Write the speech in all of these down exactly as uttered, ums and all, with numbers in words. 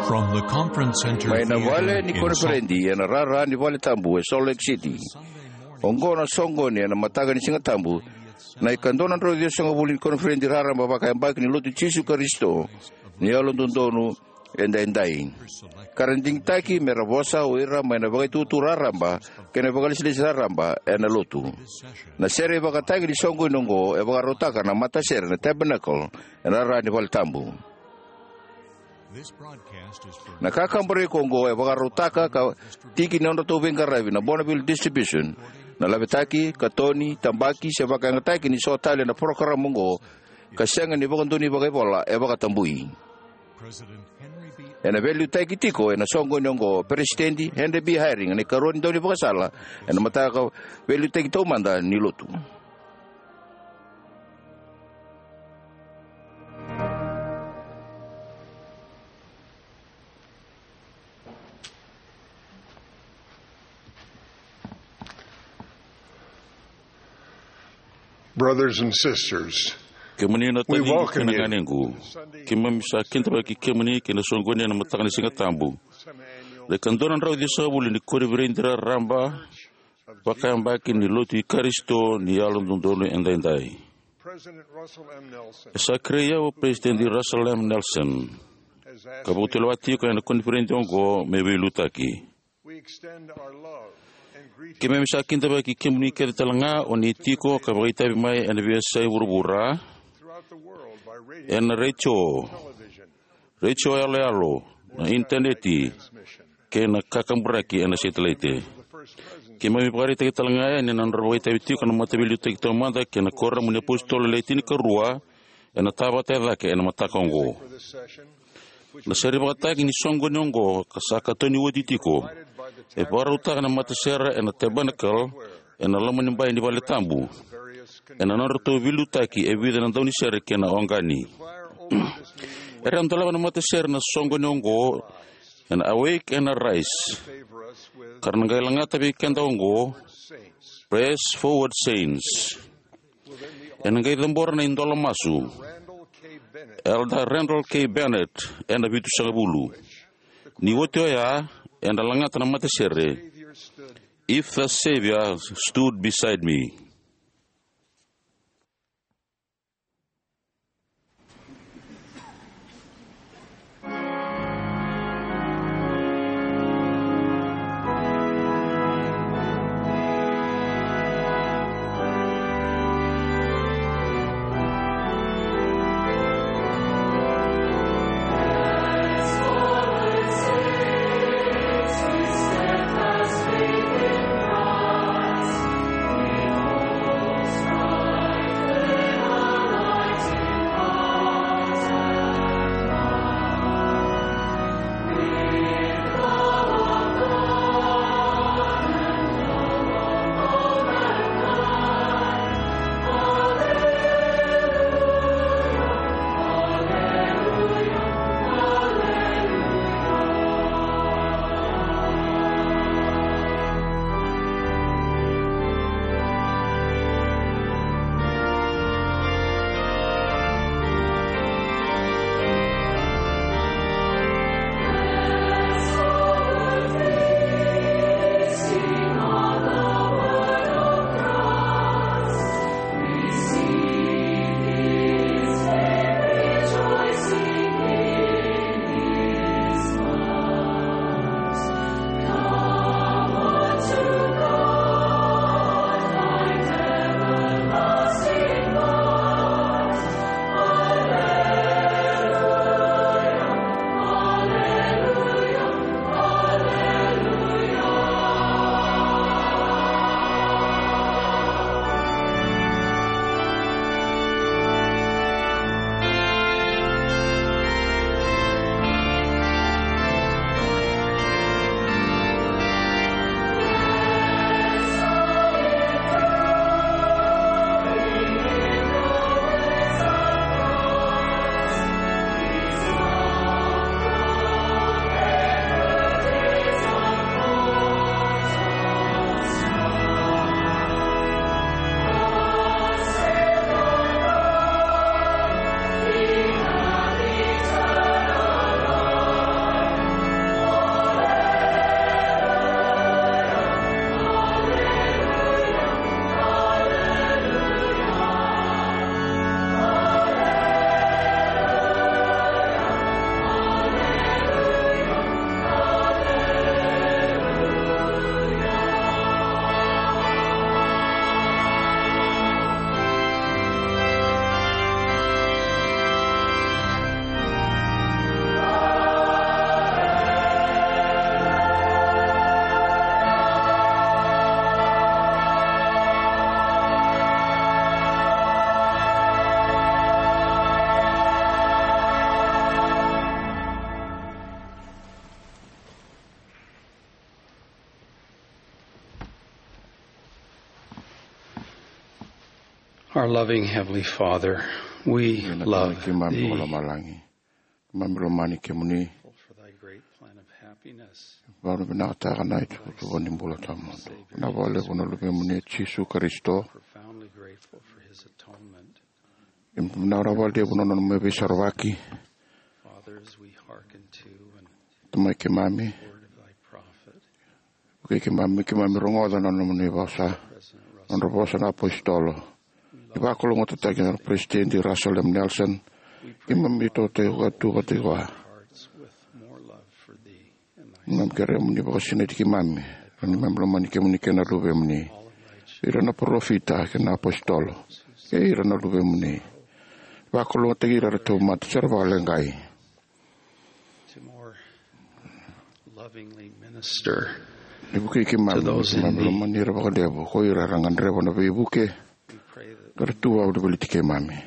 From the conference center Mai na theater vale ni in Salt koniferedi ena rara ni vale tabu e Salt Lake City. Oqo na soqoni ena mataka ni Siga Tabu, na ikadua na drau ciwasagavulu ni koniferedi raraba vakayabaki ni Lotu i Jisu Karisito ni Yalododonu Edaidai. Ka ra digitaki me ra vosa o ira mai na vakaitutu raraba kei na vakalesilesi raraba ena Lotu. Na sere ivakatagi ni soqoni oqo e vakarautaka na matasere na Tabernacle ena rara ni vale tabu. Na kakaburaki oqo e vakarautaka ka tiki ni nodratou veiqaravi na Bonneville Distribution, na lavetaki, katoni, tabaki se vakayagataki ni so tale na parokaramu oqo ka sega ni vakadonui vakaivola e vakatabui. Ena veiliutaki tiko ena soqoni oqo o Peresitedi Henry B. Eyring, na ikarua ni daunivakasala ena mataka veiliutaki taumada ni Lotu. Brothers and sisters, Kemuni na we tacigi welcome kei na you ganequ. Keimami sa kidavaki kemuni ki na soqoni ena mataka ni Siga Tabu. Na ikadua na drau ciwasagavulu ni koniferedi raraba vakayabaki ni Lotu i Karisito ni Yalododonu Edaidai. President Russell M. Nelson E sa kerei au o Peresitedi Russell M. Nelson has asked ka me vakatulewa tiko ena koniferedi oqo me veiliutaki. We extend our love and greetings Keimami sa kidavaki kemuni kece tale ga o ni tiko ka vakaitavi mai ena veiyasai vuravura, throughout the world by radio, ena retio, television, retio yaloyalo, na initaneti, transmission. Kei na kakaburaki ena setelaite. Keimami vakaraitaki tale ga yani na nodra vakaitavi tiko na mataveiliutaki taumada kei na kuoramu ni apositolo le tinikarua ena Tavata e Cake ena mataka oqo. Na sere ivakatagi ni soqoni oqo ka sa katoni oti tiko e vakarautaka na matasere ena Tabernacle ena loma ni bai ni vale tabu, ena nodratou veiliutaki e vica na daunisere kei na oqani. Era dolava na matasere na soqoni oqo ena Awake and Arise, ka ra na qai lagata vei keda oqo Press Forward Saints. Ena qai cabora na idola masu Elder Randall K. Bennett ena vitusagavulu. Ni oti oya, eda lagata na matasere If the Savior Stood Beside Me. Our loving Heavenly Father, we Ena love kemami thee. Ko lomalagi. Kemami lomani kemuni. For thy great plan of happiness. Vakavinakataka na itukutuku ni bula tawamudu. Na vakalevu na luvemuni o Jisu Karisito. Profoundly grateful for his atonement. Kemami na vakalevu na nona mai veisarovaki. Father, as we hearken to and Tamai kemami. Word of thy prophet. Vukei keimami, keimami rogoca na nomuni vosa, nodra vosa na apositolo. Ni vakalougatataki na Peresitedi Russell M Nelson, keimami tautauvata tu vata kei koya. Keimami kerea mo ni vakasinaiti keimami, ni keimami lomani kemuni kei na luvemuni, ira na parofita kei na apositolo, kei ira na luvemuni. Vakalougatataki ira era tauvimate se ra vakaleqai. To more lovingly minister Ni vukei keimami, to those in keimami need. Lomani ira vakalevu, ko ira era gadreva na veivuke, We pray that ka ra tu vakavolivoliti keimami.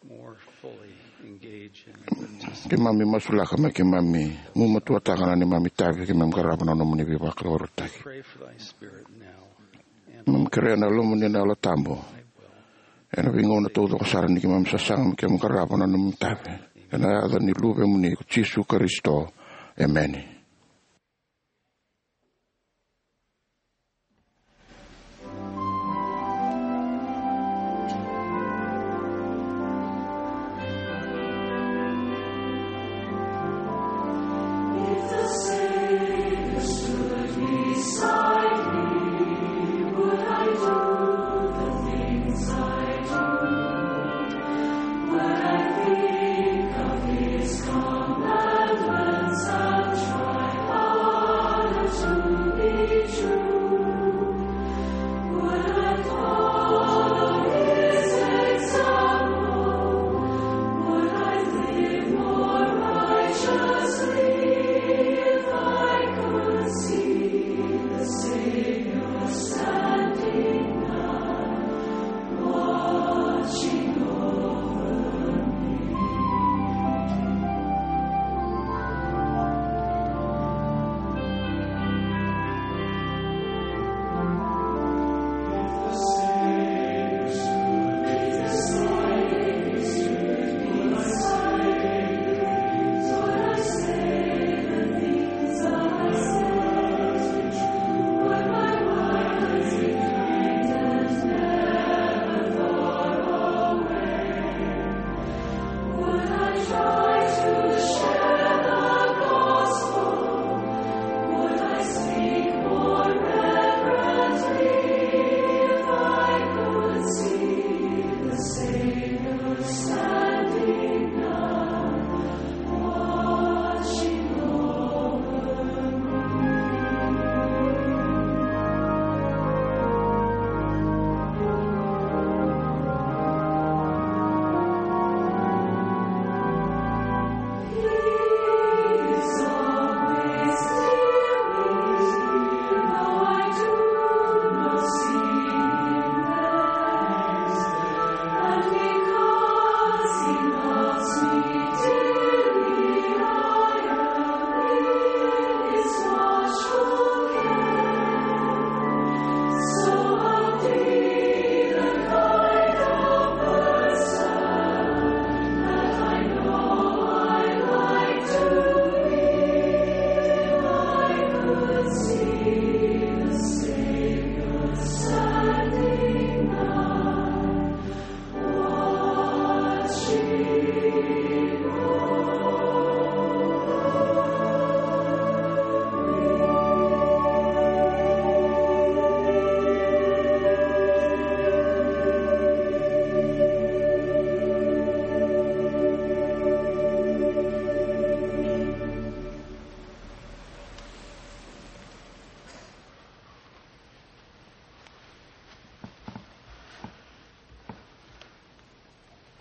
More fully engage in your participation. Keimami masulaka me keimami gumatuataka na neimami itavi, keimami qarava na nomuni veivakurabuitaki. Pray for thy spirit now and Keimami kerea na Yalomuni na Yalo Tabu. Ena veigauna taucoko sara ni keimami sasaga me keimami qarava na nomuni itavi. Ena yaca ni Luvemuni ko Jisu Karisito. Emeni.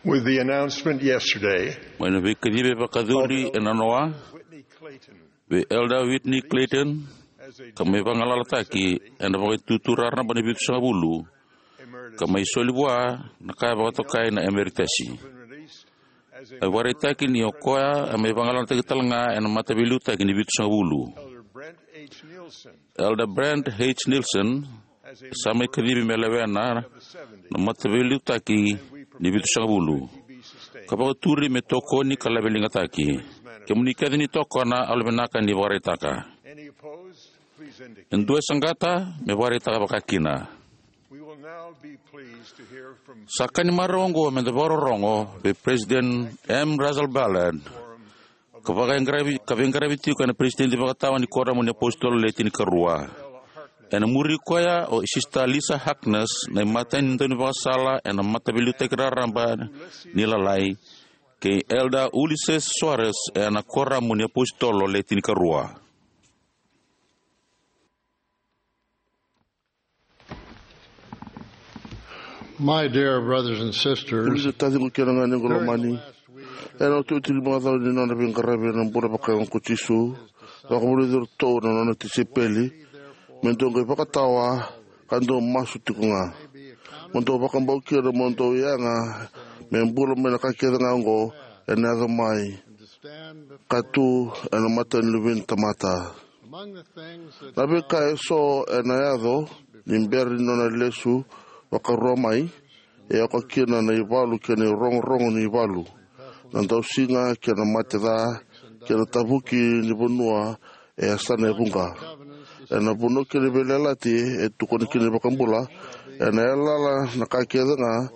With the announcement yesterday, mai na veikacivi e vakayacori e nanoa, Whitney Clayton, vei Elder Whitney Clayton, ka mai vagalalataki ena Vakaitutu Raraba ni Vitusagavulu, ka mai soli vua na ka e vakatokai na emeritasi. A vakaraitaki ni o koya a mai vagalalataki tale ga ena Mataveiliutaki ni Vitusagavulu. Elder Brent H. Nielsen sa mai kacivi me lewena na mataveiliutaki ni vitusagavulu, ka vakaturi me tokoni ka laveligataki. Kemuni kece ni tokona, au lavinaka ni vakaraitaka. E dua e saqata, me vakaraitaka vakakina. Sa ka ni marau oqo me da vakarorogo vei President M. Russell Ballard, ka vakaeqaravi, ka veiqaravi tiko ena peresitedi vakatawa ni Kuoramu ni Apositolo Le Tinikarua. Ena muri koya o Sister Lisa Harkness, na imatai ni daunivakasala ena mataveiliutaki raraba ni Lalai, kei Elder Ulisses Soares ena Kuoramu ni Apositolo Le Tinikarua. My dear brothers and sisters, Kemuni taciqu kei na ganequ lomani, ena iotioti ni macawa ni nona veiqaravi ena bula vakayago ko Jisu, vakavulici iratou na nona tisaipeli me dou qai vakatawa ka dou masu tiko ga, mo dou vakabau kina mo dou yaga me bula mai na ka kece ga oqo ena yaco mai, ka tu ena mata ni Luve ni tamata. Na veika eso ena yaco ni bera ni nona lesu vakarua mai, e oka kina na ivalu kei na irogorogo ni ivalu, na dausiga kei na mate ca, kei na tavuki ni vanua e yasana e vuqa. Ena vanua kei na veiyalayalati e tukuna kina na iVakabula, ena yalayala na ka kece ga,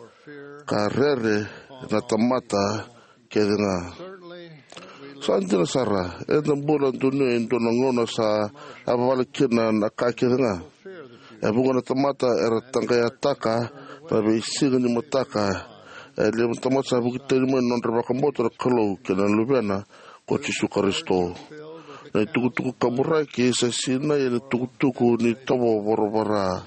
ka rere na tamata kece ga. Sa dina sara, eda bula donuya e dua na gauna sa yavavala kina na ka kece ga. E vuqa na tamata era taqayataka na veisiga ni mataka. E levu na tamata sa vuki tani mai na nodra vakabauta na Kalou kei na Luvena ko Jisu Karisito. Na itukutuku kaburaki sa sinai ena itukutuku ni tovo voravora.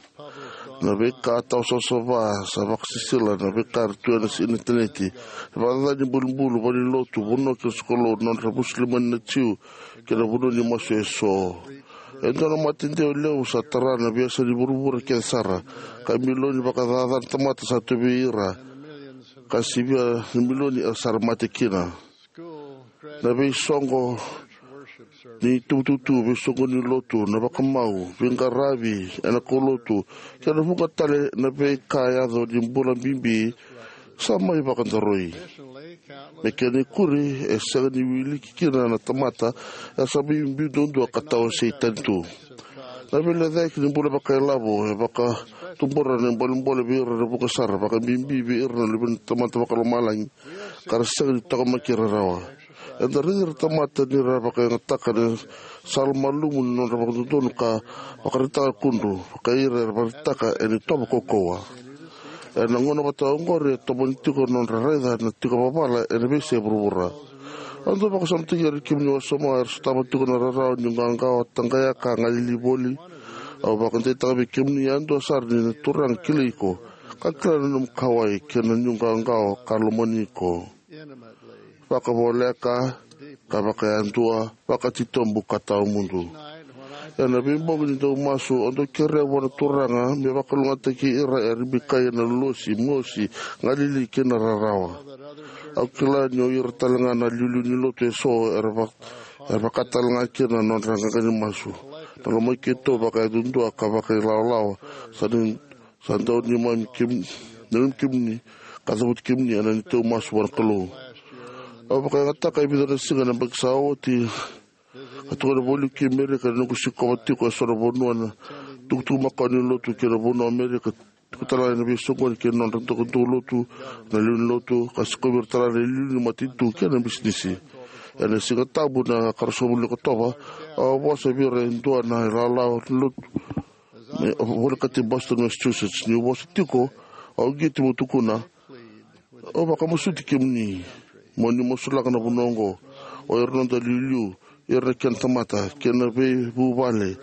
Na veika tawasavasava sa vakasisila, na veika era tu ena initaneti, na vakacaca ni bulubulu, valenilotu, vanua kei na sokalou, na nodra vusulima na Jiu, kei na vanua ni masu eso. E dua na mate dewa levu sa tara na veiyasa ni vuravura kece sara, ka milioni vakacaca na tamata sa tu vei ira, ka sivia na milioni era sa mate kina. Na veisoqo ni tuvutuvutu, veisoqo ni lotu, na vakamau, veiqaravi ena kaulotu, kei na vuqa tale na veika yaco ni bula bibi sa mai vakadaroi. Me kena ikuri, e sega ni wiliki kina na tamata era sa mai biu duadua ka tawasei tani tu. Na veilecayaki ni bula vakailavo e vakatubura na bolebole vei ira na vuqa sara, vakabibi vei ira na luve ni tamata vakalomalagi, ka ra sega ni taqomaki ira rawa. Eda raici ira na tamata ni ra vakayagataka na sala malumu ni nodra vakadodonu ka vakaraitaka kudru, vaka ira era vakaraitaka ena itovo kaukauwa. Ena gauna vata oqori e tomani tiko na nodra raica na tiko vavala ena veiyasai vuravura. Au dau vakasamataki ira kemuni wasoma era sotava tiko na rarawa ni qaqawa, taqayaka, galili voli. Au vakadeitaka vei kemuni yadua sara ni na Turaga kilai iko, ka kila na nomu kauwai kei na niu qaqawa ka lomani iko vakavoleka, ka vakayadua, vakatitobu ka tawamudu. Ena veibogi ni dau masu, au dau kerea vua na Turaga me vakalougatataki ira era bikai ena losi, mosi, galili kei na rarawa. Au kila ni o ira talega na iliuliu ni lotu eso era va-, era vaka talega kina na nodra qaqa ni masu. Na lomai keitou vakayadudua ka vakailawalawa sa ni, sa dau neimami kem-, neimami kemuni, ka cavuti kemuni ena neitou masu vua na Kalou. Au vakayagataka e vica na siga na yabaki sa oti, ka tukuna voli ki Amerika, na noqu sikova tiko eso na vanua na tukutuku makawa ni lotu kei na vanua Amerika, tiko talega ena veisoqoni kei na nodra dau lotu na lewe ni lotu, ka sikovi ira talega na iliuliu ni matanitu kei na bisinisi. Ena Siga Tabu na ikaruasagavulu ni Okotova, au a vosa vei ira e dua na ilawalawa ni lotu, me volekati Boston, Massachusetts. Niu vosa tiko, au uqeti meu tukuna, au vakamasuti kemuni mo ni masulaka na vanua oqo, o ira na noda iliuliu, ira na kena tamata, kei na veivuvale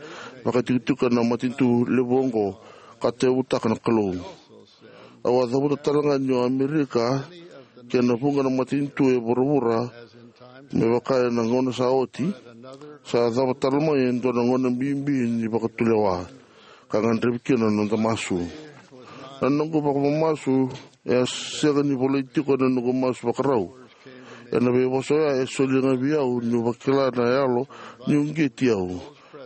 vakatikotiko ena matanitu levu oqo ka tauyavutaka na Kalou. Au a cavuta talega ni o Amerika kei na vuqa na matanitu e vuravura, me vaka ena gauna sa oti, sa cava tale mai e dua na gauna bibi ni vakatulewa, ka gadrevi kina na noda masu. Na noqu vakamamasu e a sega ni volai tiko ena noqu masu vakarau. Ena veivosa oya e solia ga vei au niu vakila na yalo ni uqeti au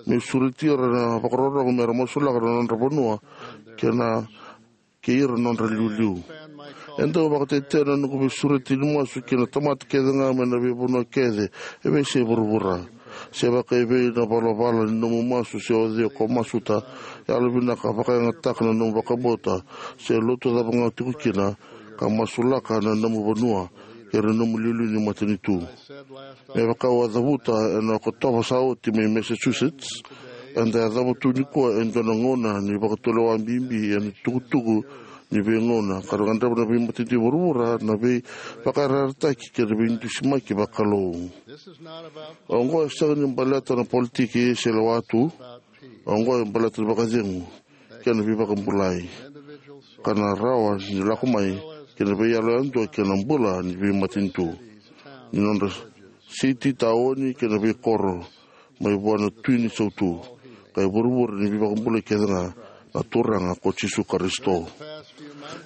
meu sureti ira na vakarorogo me ra masulaka na nodra vanua kei na kei ira na nodra iliuliu. E dau vakatetea na noqu veisureti ni masu ki na tamata kece ga mai na veivanua kece e veiyasai vuravura. Se vakaevei na valavala ni nomu masu se o cei ko masuta, yalovinaka vakayagataka na nomu vakabauta se lotu cava ga o tiko kina, ka masulaka na nomu vanua kei ira na nomu iliuliu ni matanitu. Me vaka au a cavuta ena Okotova sa oti mai Massachusetts, eda yacova tu nikua e dua na gauna ni vakatulewa bibi ena itukutuku ni veigauna ka ra gadreva na veimatanitu e vuravura na veivakayarayarataki kei na veidusimaki vakalou. Oqo e sega ni baleta na politiki se lewa tu. Oqo e baleta na vakacegu kei na veivakabulai ka na rawa ni lako mai kei na veiyalo yadua kei na bula ni veimatanitu. Ni nodra siti, taoni kei na veikoro, mai vua na Tui ni Sautu, ka e vuravura ni veivakabulai kece ga, na Turaga ko Jisu Karisito.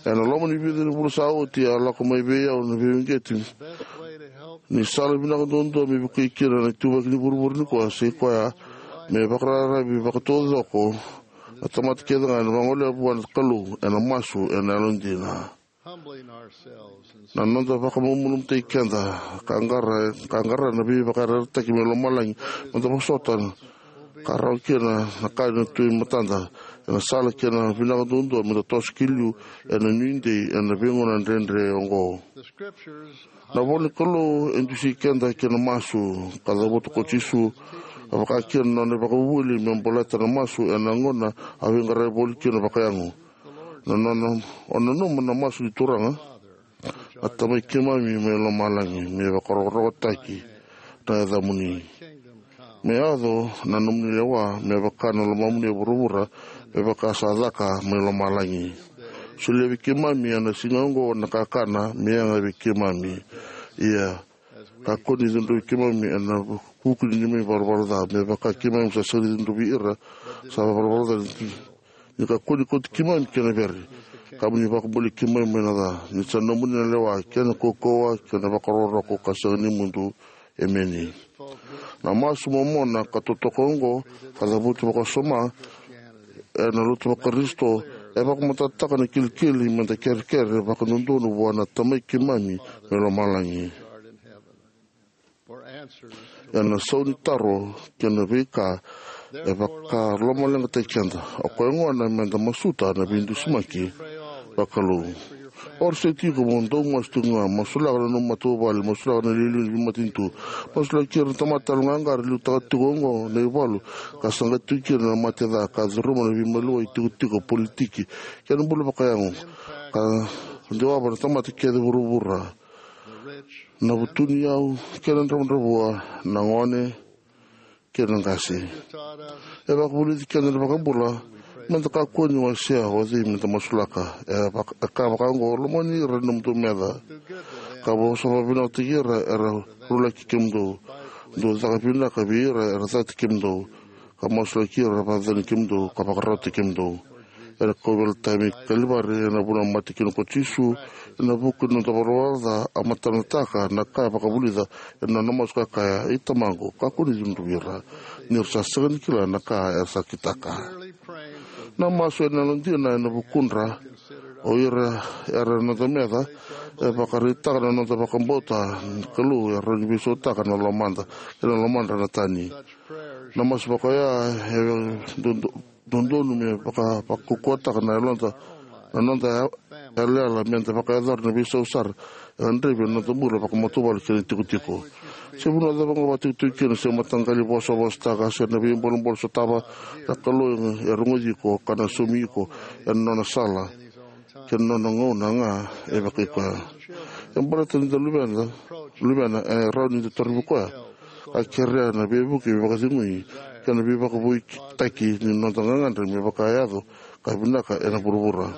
Ena loma ni vica na vula sa oti a lako mai vei au na veiuqeti ni sala vinaka duadua me vukei kina na ituvaki ni vuravura nikua, sa i koya me vakararavi vakataucoko na tamata kece ga ena vagolea vua na Kalou ena masu ena yalodina. Na noda vakamalumalumutaki keda ka qara, ka qara na veivakayarayarataki mai lomalagi, meda vosota ka rawa kina na ka ena tu e matada, ena sala kei na vinaka duadua meda toso ki liu ena nuidei ena veigauna dredre oqo. Na ivola ni Kalou e dusi keda ki na masu, ka cavuta ko Jisu, a vaka kina na nona ivakavuvuli me baleta na masu ena gauna a veiqaravi voli kina vakayago. Na nona, o nanuma na masu ni Turaga, a Tamai keimami mai lomalagi, me vakarokorokotaki na yacamuni. Me yaco na nomuni lewa me vaka na lomamuni e vuravura, me vaka sa caka mai lomalagi. Solia vei keimami ena siga oqo na kakana me yaga vei keimami. Ia, kakua ni cudruvi keimami ena vuku ni neimami varavara ca, me vaka keimami sa sega ni cudruvi ira sa varavara ca. Ni kakua ni kauti keimami ki na vere, ka mo ni vakabulai keimami mai na ca. Ni sa nomuni na lewa kei na kaukauwa kei na vakarokoroko ka sega ni mudu. Emeni. Na masu momona ka totoka oqo, ka cavuti vakasoma ena lotu vaKarisito, e vakamatatataka na kilikili meda kerekere vakadodonu vua na Tamai keimami mai lomalagi ena sau ni taro kei na veika e vakalomaleqataki keda. O koya gona meda masuta na veidusimaki vakalou. Orisai tiko mo dau masu tiko ga, masulaka na nomu matavuvale, masulaka na iliuliu ni veimatanitu, masulaki ira na tamata yaloqaqara e liutaka tiko oqo na ivalu ka saqati tiko kina na mate ca, ka curuma na veimaliwai itikotiko, politiki kei na bula vakayago, ka dewava na tamata kece e vuravura, na vutuniyau kei na dravudravua, na gone kei na qase. E vakavulici keda na iVakabula meda kakua ni wasea o cei meda masulaka. E vaka, e kaya vaka oqo: Lomani ira na nomudou meca, ka vosa vakavinakataki ira era rulaki kemudou. Dou caka vinaka vei ira era cati kemudou, ka masulaki ira era vakacacani kemudou ka vakarautaki kemudou. Ena kauveilatai mai Kalivari, ena vanua a mate kina ko Jisu ena vuku ni noda ivalavala ca, a matanataka na ka e vakavulica ena nona masu ka kaya: I Tamaqu, kakua ni cudruvi ira, ni ra sa sega ni kila na ka era sa kitaka. Na masu ena yalodina ena vukudra, o ira era noda meca, e vakaraitaka na noda vakabauta ni Kalou e rawa ni veisautaka na lomada kei na lomadra na tani. Na masu vakaoya e dodo- dodonu me vaka, vakaukauwataka na yaloda, na noda ya-, yalayala meda vakayacora na veisau sara e gadrevi ena noda bula vakamatavuvale kei na itikotiko. Se vanua cava ga o vakatikotiko kina, se mataqali vosavosataka, se na veibolebole sotava, na Kalou e rogoci iko ka na saumi iko ena nona sala kei na nona gauna ga e vakaikoya. E baleta ni da luveda, luvena, e rawa ni da torovi koya ka kerea na veivuke, veivakacegui kei na veivakavoutaki ni noda gagadre me vakayaco ka vinaka ena vuravura.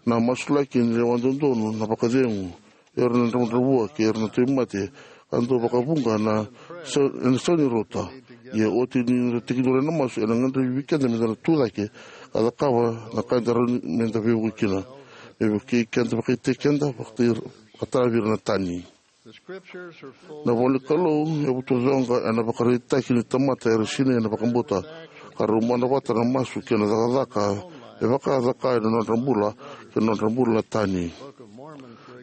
Na masulaki ni lewa dodonu, na vakacegu, ira na dravudravua kei ira na tauvimate, ka dau vakavuqa na sa-, ena sega ni rauta. Ia oti ni da tekiduru ena masu, ena gadrevi vei keda meda na tucake ka cakava na ka eda rawa ni meda veivuke kina, me vukei keda, vakaitaki keda, vakatara-, vakatara vei ira na tani. Na ivola ni Kalou e vutucoqa ena ivakaraitaki ni tamata era sinai ena vakabauta, ka rau mana vata na masu kei na cakacaka e vaka a caka ena nodra bula, kei na nodra bula na tani.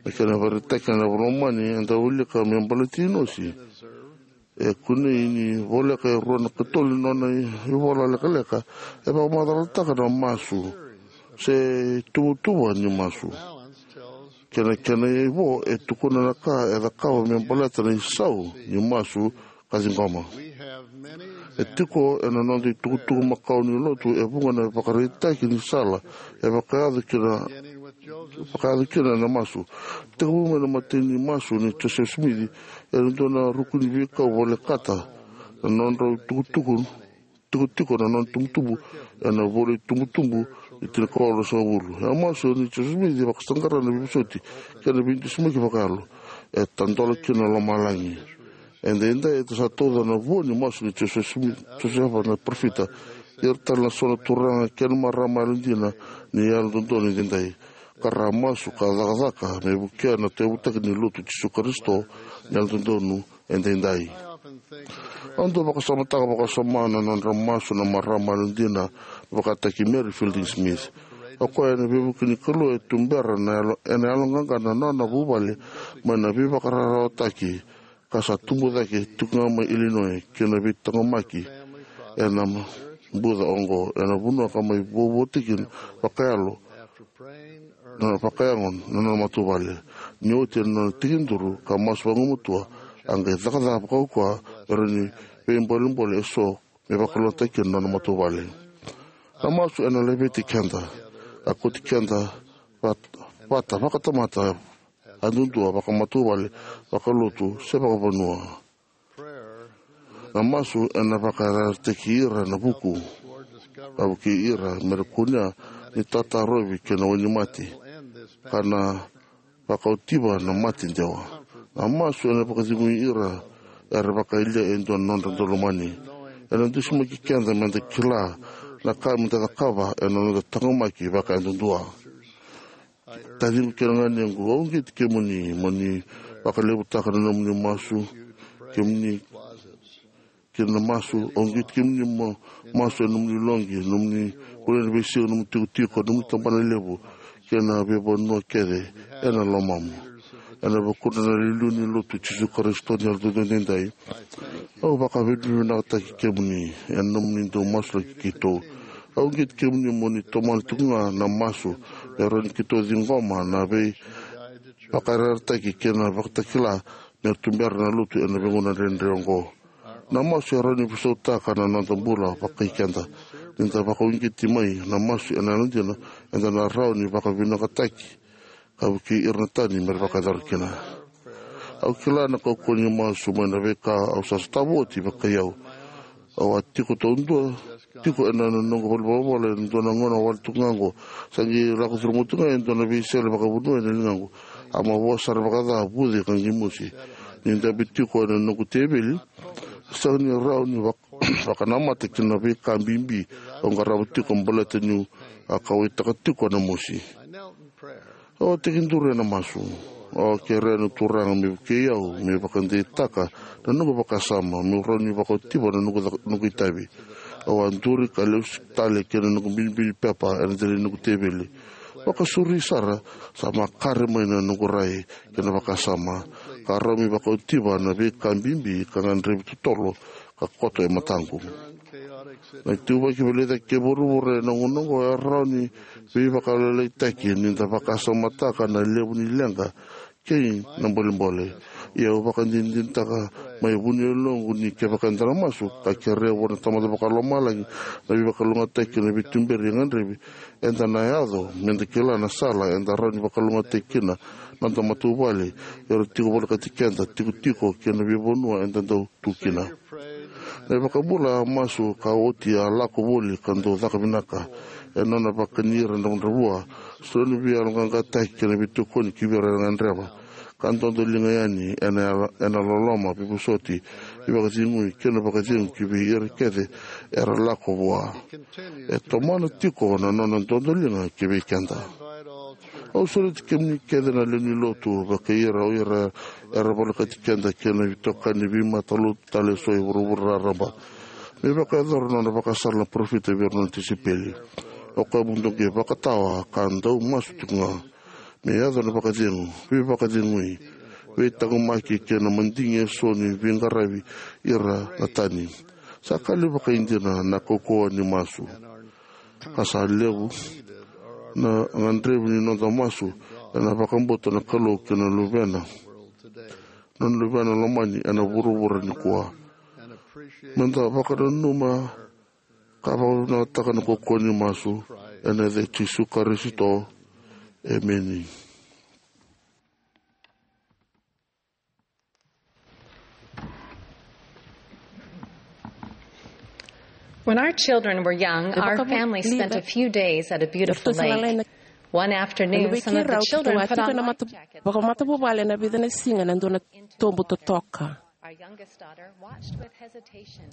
Na kena vakaraitaki ena iVola i Momani eda wilika me baleti Inosi. E kunei ni voleka e rua na katolu ni nona ivola lekaleka e vakamacalataka na masu se tuvatuva ni masu. Kei na kena ivo e tukuna na ka e cakava me baleta na isau ni masu ka ciqoma. E tiko ena noda itukutuku makawa ni lotu e vuqa na ivakaraitaki ni sala e vakayaco kina, vakayaco kina na masu. Tekivu mai na imatai ni masu nei Josefa Simici ena dua na ruku ni veikau volekata na nodrau tukutuku, tikotiko na nona tubutubu ena ivola ni Tubutubu ni tinikawalu ruasagavulu. E a masu nei Josefa Simici vakasaqara na veivosoti kei na veidusimaki vakayalo e tadola kina na lomalagi. Edaidai eda sa tauca na vua ni masu nei Josefa Simici, Josefa na parofita, ira tale na so na turaga kei na marama yalodina ni Yalododonu Edaidai, ka ra masu ka cakacaka me vukea na tauyavutaki ni Lotu i Jisu Karisito ni Yalododonu Edaidai. Au dau vakasamataka vakasama na nodra masu na marama yalodina vakataki Mary Fielding Smith. O koya ena veivuke ni Kalou e tubera na yalo, ena yaloqaqa na nona vuvale mai na veivakararawataki ka sa tubu cake tiko ga mai Illinois kei na veitaqomaki ena buca oqo ena vanua ka mai vuavuataki vakayalo na vakayago na nona matavuvale. Ni oti ena nona tekiduru ka masu vagumatua, a qai cakacaka vakaukauwa me rawa ni veibolebole eso me vakalougatataki kina na nona matavuvale. Na masu ena laveti keda, a kauti keda vat-, vata vakatamata yadudua, vakamatavuvale, vakalotu se vakavanua. Na masu ena vakayarayarataki ira na vuku, a vukei ira me ra kunea ni tatarovi kei na wainimate ka na vakaotiva na mate dewa. Na masu ena vakacegui ira era vakayalia e dua na nodra daulomani. Ena dusimaki keda me da kila na ka me da cakava ena noda taqomaki vakayadudua. Taciqu kei na ganequ, au uqeti kemuni mo ni vakalevutaka na nomuni masu, kemuni kei na masu, au uqeti kemuni mo masu ena nomuni loqi, nomuni vale ni veisiga, nomuni tikotiko, nomuni tabana levu kei na veivanua kece ena lomamu. Ena vukudra na iliuliu ni Lotu i Jisu Karisito ni Yalododonu Edaidai, au vakavinavinakataki kemuni ena nomuni dau masulaki keitou. Au uqeti kemuni mo ni tomana tiko ga na masu me rawa ni keitou ciqoma na veivakayarayarataki kei na vakatakila me ra tubera na Lotu ena veigauna dredre oqo. Na masu e rawa ni veisautaka na noda bula vakai keda. Ni da vakauqeti mai na masu ena yalodina, eda na rawa ni vakavinakataki ka vukei ira na tani me ra vakayacora kina. Au kila na kaukauwa ni masu mai na veika au sa sotava oti vakai au. Au a tiko taudua tiko ena noqu valenivolavola ena dua na gauna wale tu ga oqo. Sa qai lako curuma tu ga e dua na veisele vakavanua ena ligaqu. A mavoa sara vakaca, vuce ka qai mosi. Ni dabe tiko ena noqu teveli, sega ni rawa ni vak-, vakanamata kina na veika bibi au qarava tiko baleta niu a kauwaitaka tiko na mosi. Au a tekiduru ena masu. Au a kerea na Turaga me vukei au me vakadeitaka na noqu vakasama, meu rawa ni vakaotiva na noqu ca-, noqu itavi. Au a duri ka lesu tale kei na noqu binibini pepa ena dela ni noqu teveli. Vakasauri sara, sa makare mai na noqu rai kei na vakasama, ka rawa me vakaotiva na veika bibi ka gadrevi totolo ka koto e mataqu. Na ituvaki veilecayaki kei vuravura ena gauna oqo e rawa ni veivakalailaitaki ni da vakasamataka na levu ni leqa kei na bolebole. Ia au vakadinadinataka mai vuniyaloqu ni kevaka eda na masu ka kerea vua na Tamada Vakalomalagi na veivakalougatataki kei na veituberi e gadrevi, eda na yaco me da kila na sala eda rawa ni vakalougatataki kina na noda matavuvale, era tiko volekati keda, tikotiko kei na veivanua eda dau tu kina. Na iVakabula a masu ka oti a lako voli ka dau caka vinaka ena nona vakani ira dravudravua. Soli na veiyaloqaqataki kei na veitokoni ki vei ira era gadreva, ka dodoliga yani ena yalo, ena loloma, veivosoti, veivakacegui kei na vakacegu ki vei ira kece era lako vua. E tomana tiko na nona dodoliga ki vei keda. Au sureti kemuni kece na lewe ni lotu, vakai ira o ira era volekati keda kei na veitokani veimatalotu tale eso e vuravura raraba, me vakayacora na nona vakasala na parofita vei ira na nona tisaipeli. O koya beka e vakatawa ka dau masu tiko ga me yaco na vakacegu, veivakacegui, veitaqomaki kei na madigi eso ni veiqaravi ira na tani. Sa ka levu vakaidina na kaukauwa ni masu. Ka sa levu na gadrevi ni noda masu ena vakabauta na Kalou kei na luvena, na luvena lomani ena vuravura nikua. Meda vakananuma ka vakavinavinakataka na kaukauwa ni masu ena yaca i Jisu Karisito. Emeni. When our children were young, our family spent a few days at a beautiful lake. One afternoon, some of the children put on life jackets. Vakamatavuvale na vica na siga na dua na tobu totoka. Our youngest daughter watched with hesitation,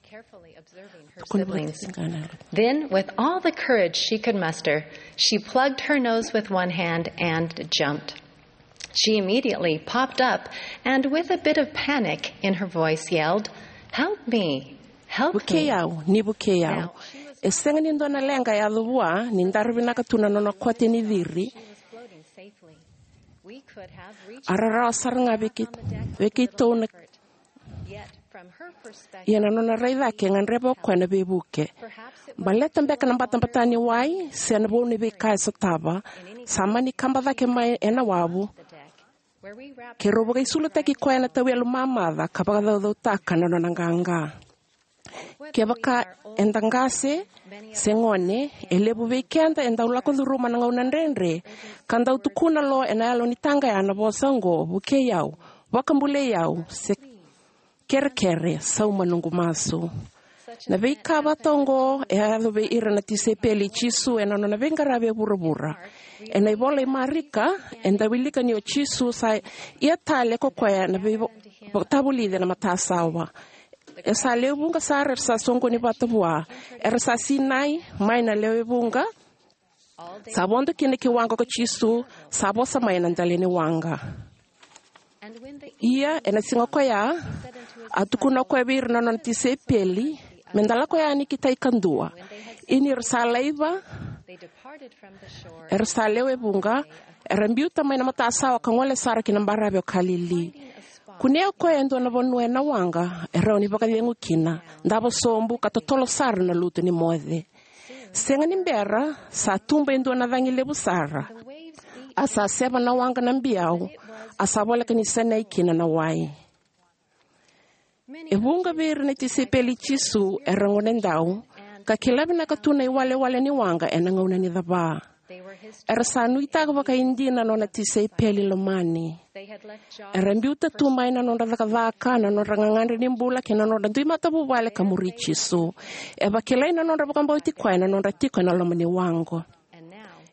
carefully observing her siblings. Then, with all the courage she could muster, she plugged her nose with one hand and jumped. She immediately popped up and, with a bit of panic in her voice, yelled, "Help me! Help me!" Vukei au, ni vukei au. E sega ni dua na leqa e yaco vua ni dara vinaka tu na nona kote ni ciri. A rarawa sara ga vei keitou na Ia na nona rai cake e gadreva o koya na veivuke. Baleta beka na batabata ni wai se na vou ni veika e sotava, sa mani kaba cake mai ena wavu. Keirau vakaisulutaki koya ena tauyalu mamaca ka vakacaucautaka na nona qaqa. Kevaka eda qase se gone, e levu vei keda e dau lako curuma na gauna dredre ka dau tukuna lo ena yalo ni taqaya na vosa oqo, "Vukei au, vakabulai au," se kerekere, "Sauma noqu masu." Na veika vata oqo e a yaco vei ira na tisaipeli i Jisu ena nona veiqaravi e vuravura. Ena ivola i Marika eda wilika ni o Jisu sa ia tale ko koya na veivakatavulici ena matasawa. E sa lewe vuqa sara era sa soqoni vata vua. Era sa sinai mai na lewe vuqa. Sa vodo kina ki waqa ko Jisu, sa vosa mai ena dela ni waqa. Ia ena siga koya a tukuna o koya vei ira na nona tisaipeli, "Meda lako yani ki tai kadua." Ia ni ra sa laiva, era sa lewe vuqa, era biuta mai na matasawa ka gole sara ki na baravi o Kalili. Kunea o koya e dua na vanua ena waqa e rawa ni vakacegu kina, davo sobu ka totolo sara na lutu ni moce. Sega ni bera sa tuba e dua na cagi levu sara, a sa seva na waqa na biau, a sa voleka ni sinai kina na wai. E vuqa vei ira na tisaipeli i Jisu era gonedau ka kila vinaka tu na iwalewale ni waqa ena gauna ni cava. Era sa nuitaka vakaidina na nona tisaipeli lomani. Era biuta tu mai na nodra cakacaka, na nodra gagadre ni bula kei na nodra dui matavuvale ka muri Jisu. E vakilai na nodra vakabauti koya ena nodra tiko ena loma ni waqa.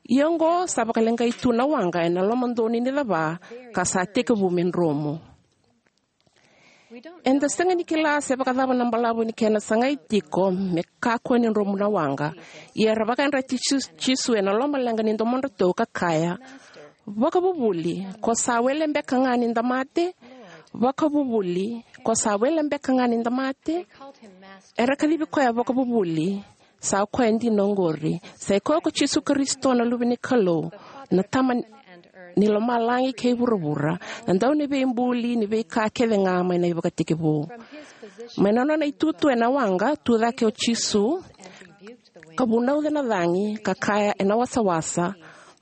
Ia oqo sa vakaleqai tu na waqa ena lomadonu ni cava ka sa tekivu me dromu. Eda sega ni kila se vakacava na balavu ni kena sagai tiko me kakua ni dromu na waqa. Ia era vakayadrati Jisu, Jisu ena lomaleqa ni domodratou ka kaya, "Vakavuvuli, ko sa wele beka ga ni da mate? Vakavuvuli, ko sa wele beka ga ni da mate?" Era kacivi koya vakavuvuli. Sa koya dina oqori. Sa i koya ko Jisu Karisito na Luve ni Kalou, na Tama ni lomalagi kei vuravura, na Dauniveibuli ni veika kece ga mai na ivakatekivu. Mai na nona itutu ena waqa, tu cake o Jisu ka vunauca na cagi ka kaya ena wasawasa,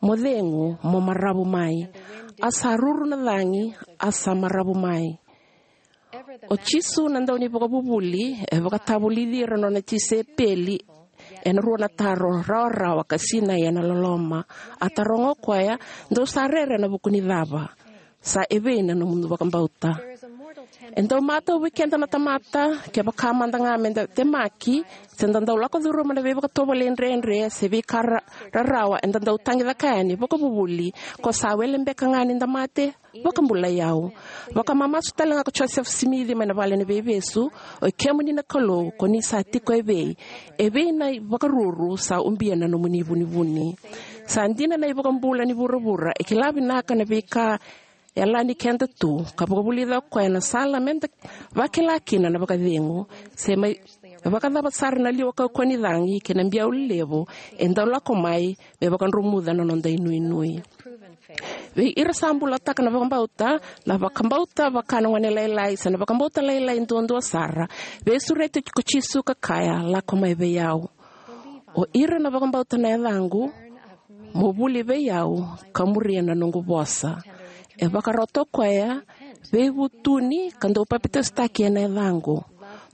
"Mo cegu, mo maravu mai." A sa ruru na cagi, a sa maravu mai. O Jisu na Daunivakavuvuli e vakatavulici ira na nona tisaipeli ena rua na taro rawarawa ka sinai ena loloma. A taroga o koya, "Dou sa rere ena vuku ni cava? Sa evei na nomudou vakabauta?" E dau matau vei keda na tamata, kevaka mada ga meda temaki se da dau lako curuma na veivakatovolei dredre se veika ra-, rarawa eda dau tagicaka yani, "Vakavuvuli, ko sa wele beka ga ni da mate? Vakabulai au." Vakamamasu tale ga ko Joseph Smith mai na vale ni veivesu, "Oi kemuni na Kalou, ko ni sa tiko evei? Evei na ivakaruru sa ubia na nomuni vunivuni?" Sa dina na iVakabula ni vuravura e kila vinaka na veika e yalani keda tu, ka vakavulica o koya na sala meda vakila kina na vakacegu. Se mai Vakacava sara na liwa kaukauwa ni cagi kei na biau lelevu e dau lako mai me vakadromuca na noda inuinui? Vei ira sa bulataka na vakabauta, na vakabauta vaka na gone lailai se na vakabauta lailai duadua sara, veisureti ko Jisu ka kaya, "Lako mai vei au." O ira na vakabauta na yacaqu, mo vuli vei au ka muria na noqu vosa. E vakarota o koya, veivutuni ka dau papitaisotaki ena yacaqu.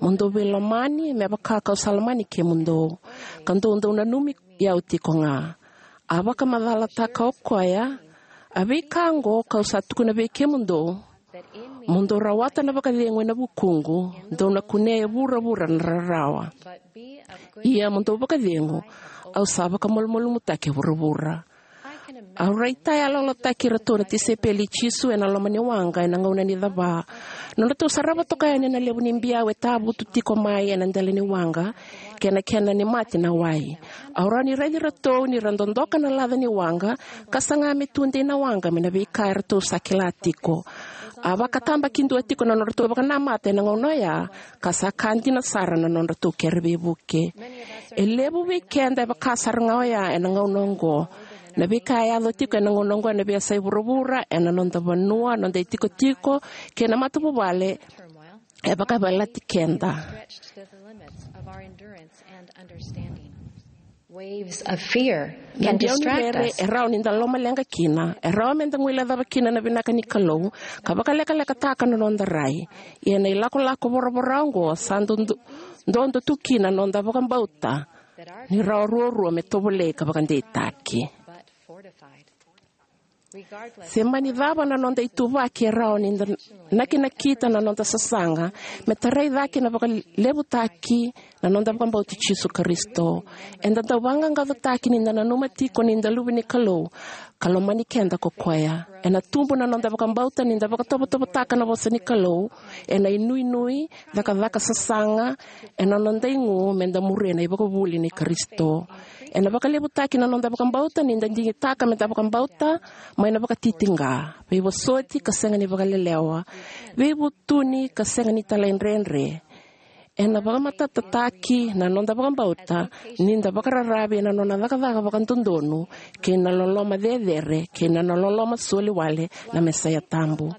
Mo dau veilomani me vaka kau sa lomani kemudou, ka dou dau nanumi au tiko ga. A vakamacalataka o koya, a veika oqo kau sa tukuna vei kemudou, mo dou rawata na vakacegu ena vukuqu, dou na kunea e vuravura na rarawa. Ia mo dou vakacegu, au sa vakamalumalumutaki e vuravura. Au raitayaloyalotaki iratou na tisaipeli i Jisu ena loma ni waqa ena gauna ni cava. Nodratou sarava toka yani na levu ni biau e tavutu tiko mai ena dela ni waqa, kei na kena ni mate na wai. Au rawa ni raici iratou ni ra dodoka na laca ni waqa, ka saga me tudei na waqa mai na veika eratou sa kila tiko. A vakatabakidua tiko na nodratou vakanamata ena gauna oya, ka sa ka dina sara na nodratou kere veivuke. E levu vei keda e vaka sara ga oya ena gauna oqo. Na veika e yaco tiko ena gauna oqo ena veiyasai vuravura, ena noda vanua, noda itikotiko, kei na matavuvale, e vakayavalati keda. Waves of fear can distract us. Na biau ni rere e rawa ni da lomaleqa kina, e rawa me da guilecava kina na vinaka ni Kalou, ka vakalekalekataka na noda rai. Ia na ilakolako voravora oqo sa dodo, dodo tu kina na noda vakabauta ni rawa ruarua me tovolei ka vakadeitaki. Se mani cava na noda ituvaki, e rawa ni da nakinakita na noda sasaga me tarai cake na vakalevutaki na noda vakabauti Jisu Karisito. Eda dau vaqaqacotaki ni da nanuma tiko ni da luve ni Kalou, ka lomani keda ko koya. Ena tubu na noda vakabauta ni da vakatovotovotaka na vosa ni Kalou ena inuinui, cakacaka sasaga, ena noda igu me da muria na ivakavuvuli ni Karisito. Ena vakalevutaki na noda vakabauta ni da digitaka me da vakabauta mai na vakatitiqa, veivosoti ka sega ni vakalelewa, veivutuni ka sega ni talaidredre. Ena vakamatatataki na noda vakabauta ni da vakararavi ena nona cakacaka vakadodonu, kei na loloma cecere, kei na loloma soli wale na Mesaia tabu.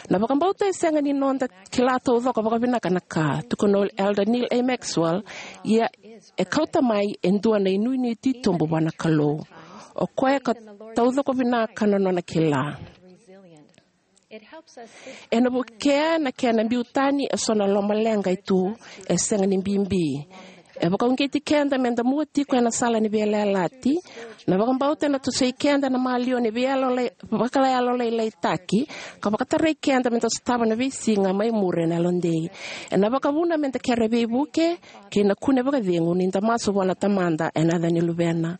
Na vakabauta e sega ni noda kila taucoko vakavinaka na ka, tukuna o Elder Neal A. Maxwell, ia e kauta mai e dua na inuinui titobu vua na Kalou. O koya ka taucoko vinaka na nona kila. Ena vukea na kena biu tani eso na lomaleqa e tu, e sega ni bibi. E vakauqeti keda me da mua tiko ena sala ni veiyalayalati. Na vakabauta ena tosoi keda na maliwa ni veiyalo lai, vakalayalo lailaitaki, ka vakatarai keda me da sotava na veisiga mai muri ena yalodei. Ena vakavuna me da kere veivuke, kei na kune vakacegu ni da masu vua na Tamada ena yaca ni Luvena.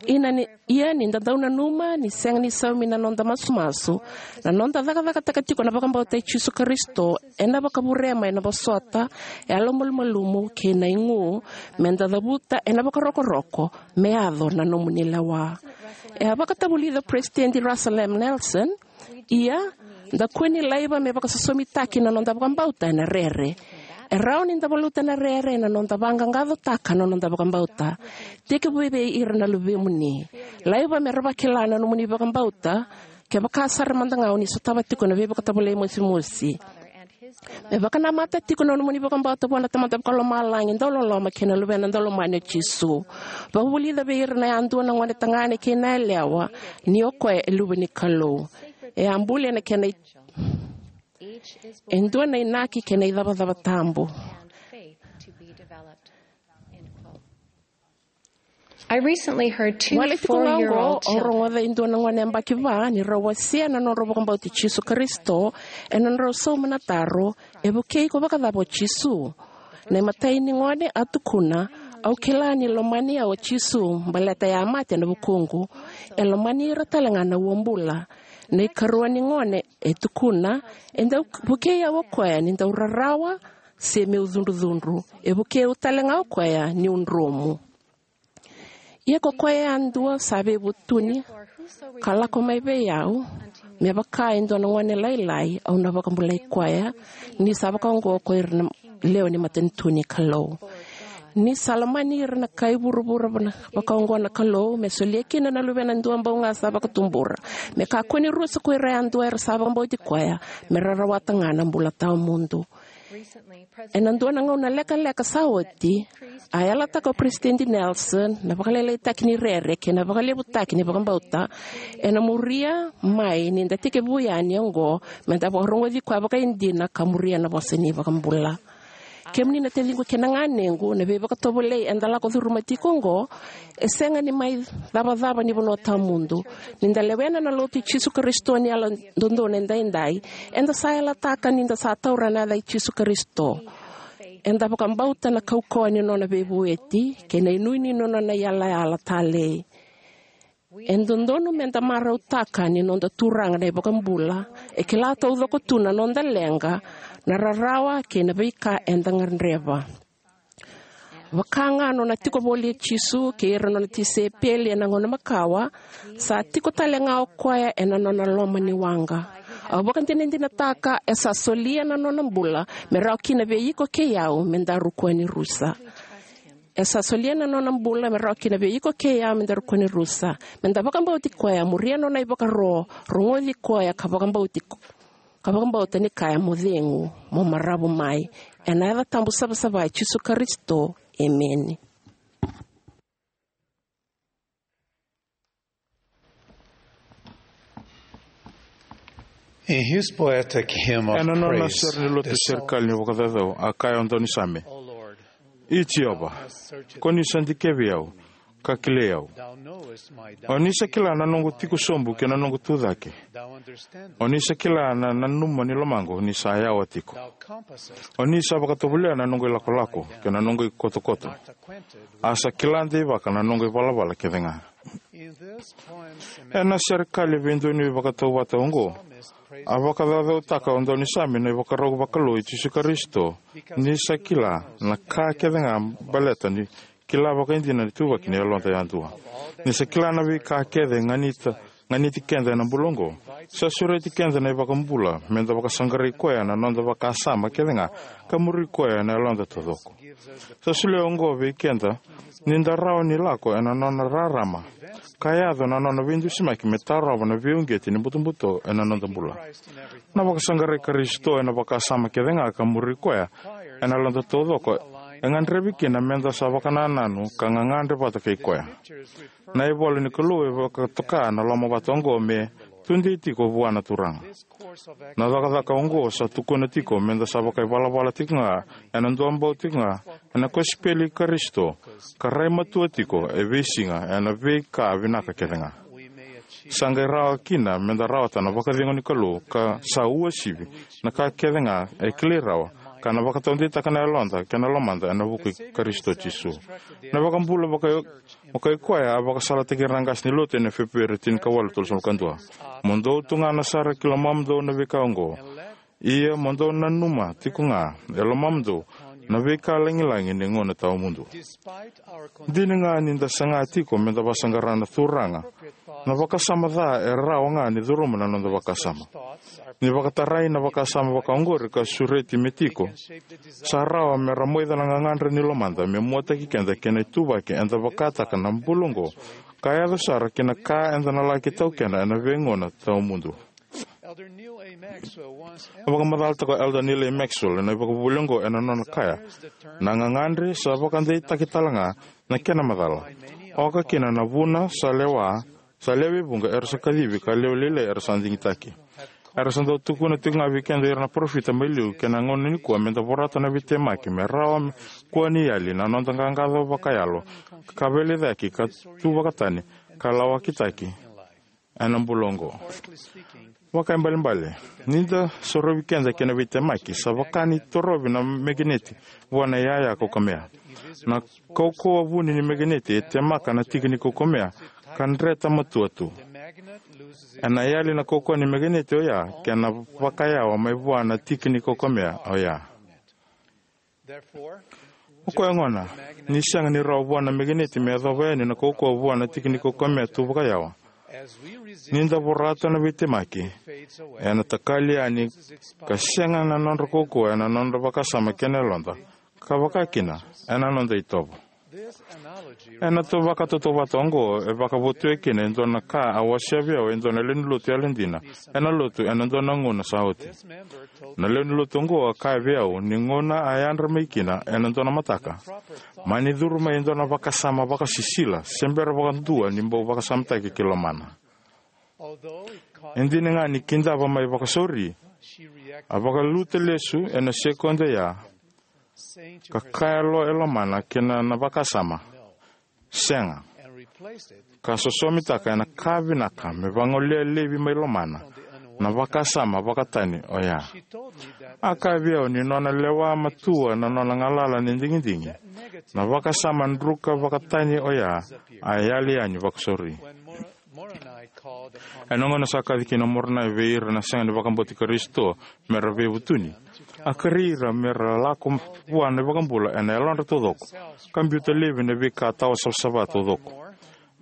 Ia ni, ia ni da dau nanuma ni sega ni saumi na noda masumasu, na noda cakacakataka tiko na vakabauta i Jisu Karisito, ena vakavure mai na vosota, yalomalumalumu kei na igu, me da cavuta ena vakarokoroko me yaco na nomuni lewa. E a vakatavulica o Peresitedi Russell M. Nelson, ia, da kua ni laiva me vakasosomitaki na noda vakabauta ena rere. E rawa ni da valuta na rere ena noda vaqaqacotaka na noda vakabauta. Tekivu vei ira na luvemuni. Laiva me ra vakila na nomuni vakabauta, kevaka sara mada ga o ni sotava tiko na veivakatovolei mosimosi. Me vakanamata tiko na nomuni vakabauta vua na Tamada Vakalomalagi dauloloma kei na Luvena daulomani o Jisu. Vakavulica vei ira na yadua, na gone tagane kei na yalewa, ni o koya e luve ni Kalou. E a buli ena kena i-, e dua na inaki kei na icavacava tabu. I recently heard two Wale tiko ga oqo, four-year-old au children. Rogoca e dua na gone yabaki va ni rau wasea na nodrau vakabauti Jisu Karisito ena nodrau sauma na taro, "E vukei iko vakacava o Jisu?" Na imatai ni gone a tukuna, "Au kila ni lomani au o Jisu, baleta e a mate ena vukuqu. E lomani ira tale ga na uabula." Na ikarua ni gone e tukuna, "E dau vukei au o koya ni dau rarawa se meu cudrucudru. E vukei au tale ga o koya niu dromu." Ia ko koya yadua sa veivutuni ka lako mai vei au, me vaka e dua na gone lailai, au na vakabulai koya, ni sa vakaoqo ko ira na lewe ni matanitu ni Kalou. Ni sa lomani ira na kai vuravura vaka-, vakaoqo na Kalou, me solia kina na Luvena duabau ga sa vakatubura, me kakua ni rusa ko ira yadua era sa vakabauti koya, me ra rawata ga na bula tawamudu. Ena dua na gauna lekaleka sa oti, a yalataka o Peresitedi Nelson na vakalailaitaki ni rere kei na vakalevutaki ni vakabauta ena muria mai ni da tekivu yani oqo, me da vakarogoci koya vakaidina ka muria na vosa ni vakabula. Kemuni na taciqu kei na ganequ, na veivakatovolei eda lako curuma tiko oqo e sega ni mai cavacava ni vanua tawamudu. Ni da lewena na Lotu i Jisu Karisito ni Yalododonu Edaidai, eda sa yalataka ni da sa taura na yaca i Jisu Karisito. Eda vakabauta na kaukauwa ni nona veivueti kei na inuinui ni nona yalayala talei. E dodonu me da marautaka ni noda Turaga na iVakabula e kila taucoko tu na noda leqa, na rarawa kei na veika eda gadreva. Vaka ga nona tiko voli o Jisu kei ira nona tisaipeli ena gauna makawa, sa tiko tale ga o koya ena nona loma ni waqa. Au vakadinadinataka e sa solia na nona bula me rawa kina vei iko kei au me daru kua ni rusa. E sa solia na nona bula me rawa kina vei iko kei au me daru kua ni rusa. Me da vakabauti koya, muria nona ivakaro, rogoci koya ka vakabauti ko-, ka vakabauta ni kaya mo cegu, mo maravu mai. Ena yaca tabu savasava i Jisu Karisito. Emeni. In his poetic hymn of Ena nona praise, sere ni lotu the serikali ni vakacaucau, a kaya o daunisame: "I Jiova, ko ni sa dikevi au, ka kilai au. O ni sa kila na noqu tiko sobu kei na noqu tu cake. O ni sa kila na nanuma ni lomaqu ni sa yawa tiko. O ni sa vakatovolea na noqu ilakolako kei na noqu ikotokoto. A sa kila deivaka na noqu ivalavala kece ga." Ena serikali veidonui vakatauvata oqo, a vakacaucautaka o daunisame na ivakarau vakalou i Jisu Karisito, ni sa kila na ka kece ga baleta ni kila vakaidina ni tuvaki ni yaloda yadua. Ni sa kila na veika kece ganita, ganiti keda ena bula oqo, sa sureti keda na iVakabula me da vakasaqarai koya ena noda vakasama kece ga, ka muri koya ena yaloda taucoko. Sa solia oqo vei keda ni da rawa ni lako ena nona rarama, ka yaco na nona veidusimaki me tarova na veiuqeti ni butobuto ena noda bula. Na vakasaqarai Karisito ena vakasama kece ga ka muri koya ena yaloda taucoko e gadrevi kina me da sa vakanananu ka gagadre vata kei koya. Na ivola ni Kalou e vakatoka na lomavata oqo me tudei tiko vua na Turaga. Na cakacaka oqo sa tukuna tiko me da sa vakaivalavala tiko ga, ena duabau tiko ga ena kosipeli i Karisito, ka rai matua tiko e veisiga ena veika vinaka kece ga. Sa qai rawa kina me da rawata na vakacegu ni Kalou, ka sa uasivi na ka kece ga e kilai rawa, ka na vakataudeitaka na yaloda kei na lomada ena vuku i Karisito Jisu. Na iVakabula vaka, vakaikoya a vakasalataki ira na qase ni lotu ena Feperueri tinikawalu tolusagavulu ka dua: "Mo dou tugana sara ki lomamudou na veika oqo. Ia mo dou nanuma tiko ga e lomamudou na veika lagilagi ni gauna tawamudu." Dina ga ni da saga tiko me da vakasaqara na Turaga, na vakasama ca e rawa ga ni curuma na noda vakasama. Ni vakatarai na vakasama vakaoqori ka sureti me tiko, sa rawa me ra moica na gagadre ni lomada me muataki keda kei na ituvaki eda vakataka na bula oqo, ka yaco sara kei na ka eda na laki taukena ena veigauna tawamudu. A vakamacalataka o Elder Neal A. Maxwell ena ivakavuvuli oqo ena nona kaya: "Na gagadre sa vakadeitaki tale ga na kena macala. Oka kina na vuna sa lewa, sa lewe vuqa era sa kacivi, ka lewe lailai era sa digitaki." Era sa dau tukuna tiko ga vei keda o ira na parofita mai liu kei na gauna nikua me da vorata na veitemaki me rawa me kua ni yali na noda qaqaco vakayalo, ka veiliutaki, ka tu vakatani, ka lawakitaki ena bula oqo. Vakaibalebale, ni da sorovi keda kei na veitemaki, sa vaka ni torovi na mekeneti vua na iyaya kaukamea. Na kaukauwa vuni ni mekeneti e temaka na tiki ni kaukamea, ka dreta matua tu. Ena yali na kaukauwa ni mekeneti oya kei na vakayawa mai vua na tiki ni kaukamea oya. O koya gona, ni sega ni rawa vua na mekeneti me yacova yani na kaukauwa vua na tiki ni kaukamea tu vakayawa, ni da vorata na veitemaki, ena takali yani ka sega na nodra kaukauwa ena nodra vakasama kei na yaloda, ka vakakina ena noda itovo. Ena vakatautauvata oqo e vakavotuya kina e dua na ka a wasea vei au e dua na lewe ni lotu yalodina ena lotu ena dua na gauna sa oti. Na lewe ni lotu oqo a kaya vei au ni gauna a yadra mai kina ena dua na mataka, mani curu mai e dua na vakasama vakasisila se bera vakadua ni bau vakasamataki ki lomana. E dina ga ni kidava mai vakasauri, a vakaliuta lesu ena sekodi oya ka kaya lo e lomana kina na vakasama, "Sega," ka sosomitaka ena ka vinaka me vagoleya laivi mai lomana na vakasama vakatani oya. A kaya vei au ni nona lewa matua na nona galala ni digidigi, na vakasama druka vakatani oya a yali yani vakasauri. Ena gauna sa kaci kina o Moronai vei ira na sega ni vakabauti Karisito me ra veivutuni, a kerei ira me ra lako vua na iVakabula ena yalodra taucoko, ka biuta laivi na veika tawa savasava taucoko.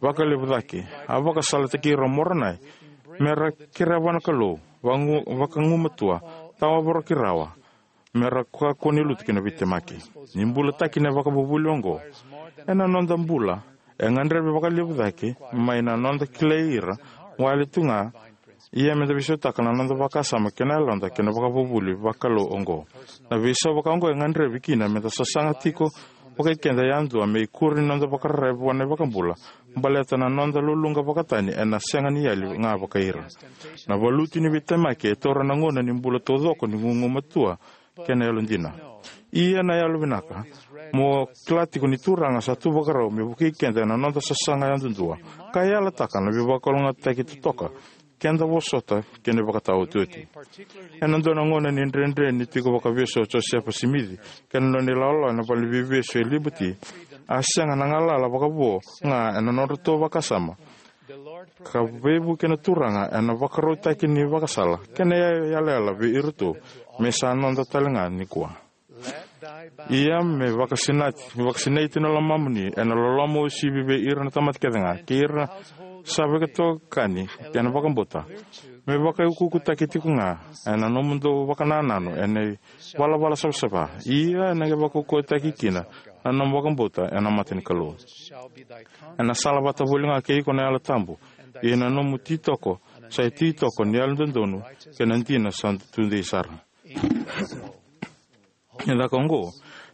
Vakalevu cake, a vakasalataki ira o Moronai me ra kerea vua na Kalou vagu- vakagumatua, tawa voroki rawa, me ra kakua ni lutu ki na veitemaki. Ni bulataki na ivakavuvuli oqo ena noda bula, e gadrevi vakalevu cake mai na noda kilai ira wale tu ga, ia meda veisautaka na noda vakasama kei na yaloda kei na ivakavuvuli vakalou oqo. Na veisau vaka oqo e gadrevi kina meda sasaga tiko vakai keda yadua me ikuri ni noda vakararavi vua na iVakabula baleta na noda luluqa vakatani ena sega ni yali ga vakai ira. Na valuti ni veitemaki e taura na gauna ni bula taucoko ni gugumatua kei na yalodina. Ia na yalovinaka, mo kila tiko ni Turaga sa tu vakarau me vukei keda ena noda sasaga yadudua ka yalataka na veivakalougatataki totoka keda vosota kei na ivakataotioti. Ena dua na gauna ni dredre ni tiko vakavesu o Josefa Simici kei na nona ilawalawa ena valeniveivesu e Liberty, a sega na galala vakavo ga ena nodratou vakasama, ka veivuke na Turaga ena vakarautaki ni vakasala kei na yalayala vei iratou me sa noda talega nikua. Ia me vakasinaiti, vakasinaiti na lomamuni ena loloma uasivi vei ira na tamata kece ga kei ira sa veitokani kei na vakabauta, me vakaiukuukutaki tiko ga ena nomudou vakanananu ena ivalavala savasava, ia ena qai vakaukauwataki kina na nomu vakabauta ena mata ni Kalou. Ena sala vata voli ga kei iko na Yalo Tabu, ia na nomu ititoko sa ititoko ni yalododonu kei na dina sa tudei sara. E caka oqo,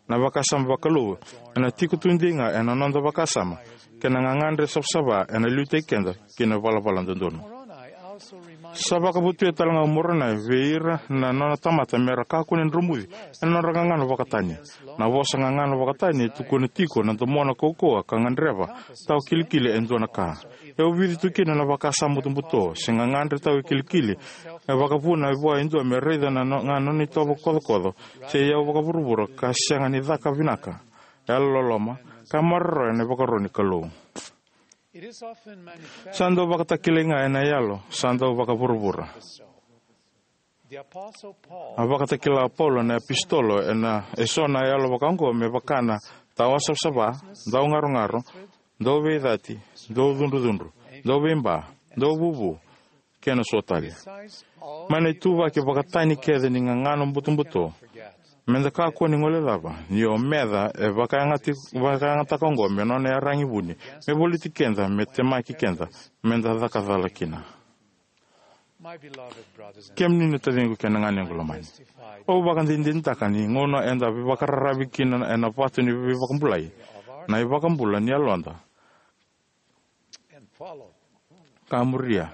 na vakasama vakalou ena tiko tudei ga ena noda vakasama kei na gagadre savasava ena liutaki keda ki na ivalavala dodonu. Sa vakavotuya talega o Moronai vei ira na nona tamata me ra kakua ni dromuci ena nodra gagano vakatani. Na vosa gagano vakatani e tukuna tiko na domona kaukauwa ka gadreva tawa kilikili e dua na ka. E ovici tu kina na vakasama butobuto se gagadre tawa kilikili e vakavuna vua e dua me raica na no- ga nona itovo kocokoco se iyau vakavuravura ka sega ni caka vinaka, yalololoma, ka maroroya na ivakaro ni Kalou. Sa dau vakatakilai ga ena yalo sa dau vakavuravura. A vakatakila o Paula na iapositolo ena eso na yalo vaka oqo me vaka na tawa savasava, daugarogaro, dauveicati, daucudrucudru, dauveiba, dauvuvu, kei na so tale. Mai na ituvaki vakatani kece ni gagano butobuto, meda kakua ni guilecava ni o meca e vakayagataki- vakayagataka oqo me nona iyaragi vuni me voliti keda, me temaki keda meda caka cala kina. Kemuni na taciqu kei na ganequ lomani, au vakadinadinataka ni gauna eda veivakararavi kina ena vatu ni veivakabulai, na iVakabula ni yaloda, ka muria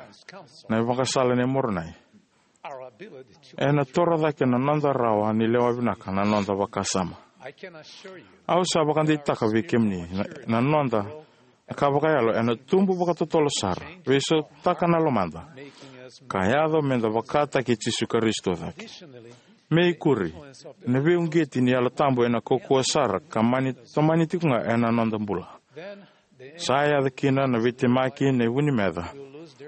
na ivakasala nei Moronai, ena toro cake na noda rawa ni lewa vinaka na noda vakasama. Au sa vakadeitaka vei kemuni na, na noda ka vakayalo ena tubu vakatotolo sara, veisautaka na lomada, ka yaco meda vakataki Jisu Karisito cake. Me ikuri, na veiuqeti ni Yalo Tabu ena kaukauwa sara ka mani tomani tiko ga ena noda bula. Sa yaco kina na veitemaki nei vu ni meca,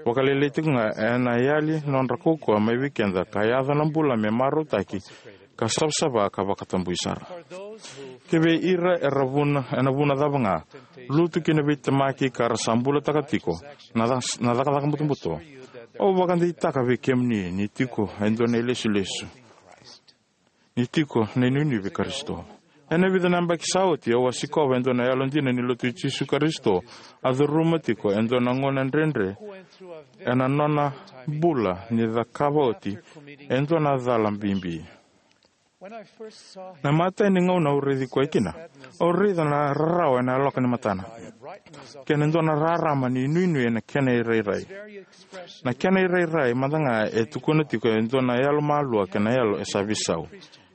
vakalailai tiko ga ena yali nodra kaukauwa mai vei keda ka yaco na bula me marautaki, ka savasava, ka vakatabui sara. Kivei ira era vuna, ena vuna cava ga, lutu ki na veitemaki ka ra sa bulataka tiko na ca- na cakacaka butobuto, au vakadeitaka vei kemuni ni tiko e dua na ilesulesu, ni tiko na inuinui vei Karisito. Ena vica na yabaki sa oti, au a sikova e dua na yalodina ni Lotu i Jisu Karisito a curuma tiko e dua na gauna dredre ena nona bula ni cakava oti e dua na cala bibi. Na imatai ni gauna au raici koya kina, au raica na rarawa ena yaloka ni matana kei na dua na rarama ni inuinui ena kena irairai. Na kena irairai mada ga e tukuna tiko e dua na yalomalua kei na yalo e sa veisau.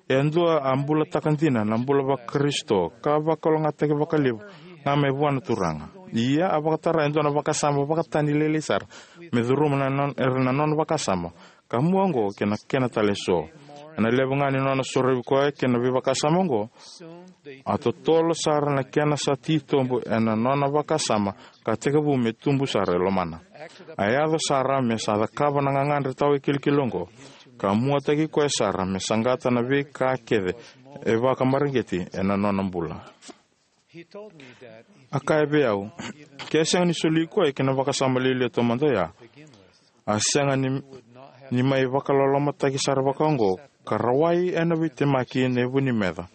E dua a bulataka dina na bula vaKarisito ka vakalougatataki vakalevu ga mai vua na Turaga. Ia a vakatara e dua na vakasama vakatani lailai sara me curuma na non-, era na nona vakasama. Ka mua oqo kei na kena tale eso. Ena levu ga ni nona sorovi koya kei na veivakasama oqo, a totolo sara na kena sa titobu ena nona vakasama ka tekivu me tubu sara e lomana. A yaco sara me sa cakava na gagadre tawa e kilikili oqo, ka muataki koya sara me saqata na veika kece e vakamareqeti ena nona bula. A kaya vei au, ke sega ni soli koya ki na vakasama lialia taumada oya, a sega ni, ni mai vakalolomataki sara vakaoqo ka rawai ena veitemaki na ivu ni meca.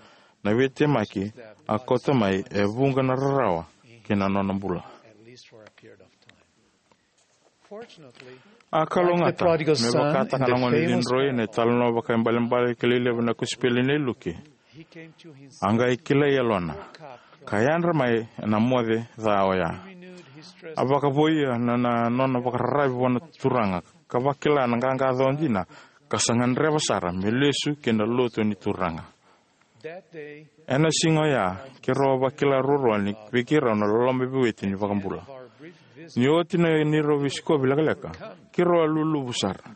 Na veitemaki a kauta mai e vuqa na rarawa ki na nona bula. A kalougata, me vakataka na gone cidroi ena italanoa vakaibalebale kilai levu na kosipeli nei Luke, a qai kilai yalona ka yadra mai ena moce ca oya. A vakavoia na, na nona vakararavi vua na Turaga ka vakila na qaqa ca dina ka sa gadreva sara me lesu ki na lotu ni Turaga. Ena siga oya, keirau a vakila ruarua ni vei keirau na loloma veiweti ni iVakabula. Ni oti na neirau veisikovi lekaleka, keirau a luluvu sara.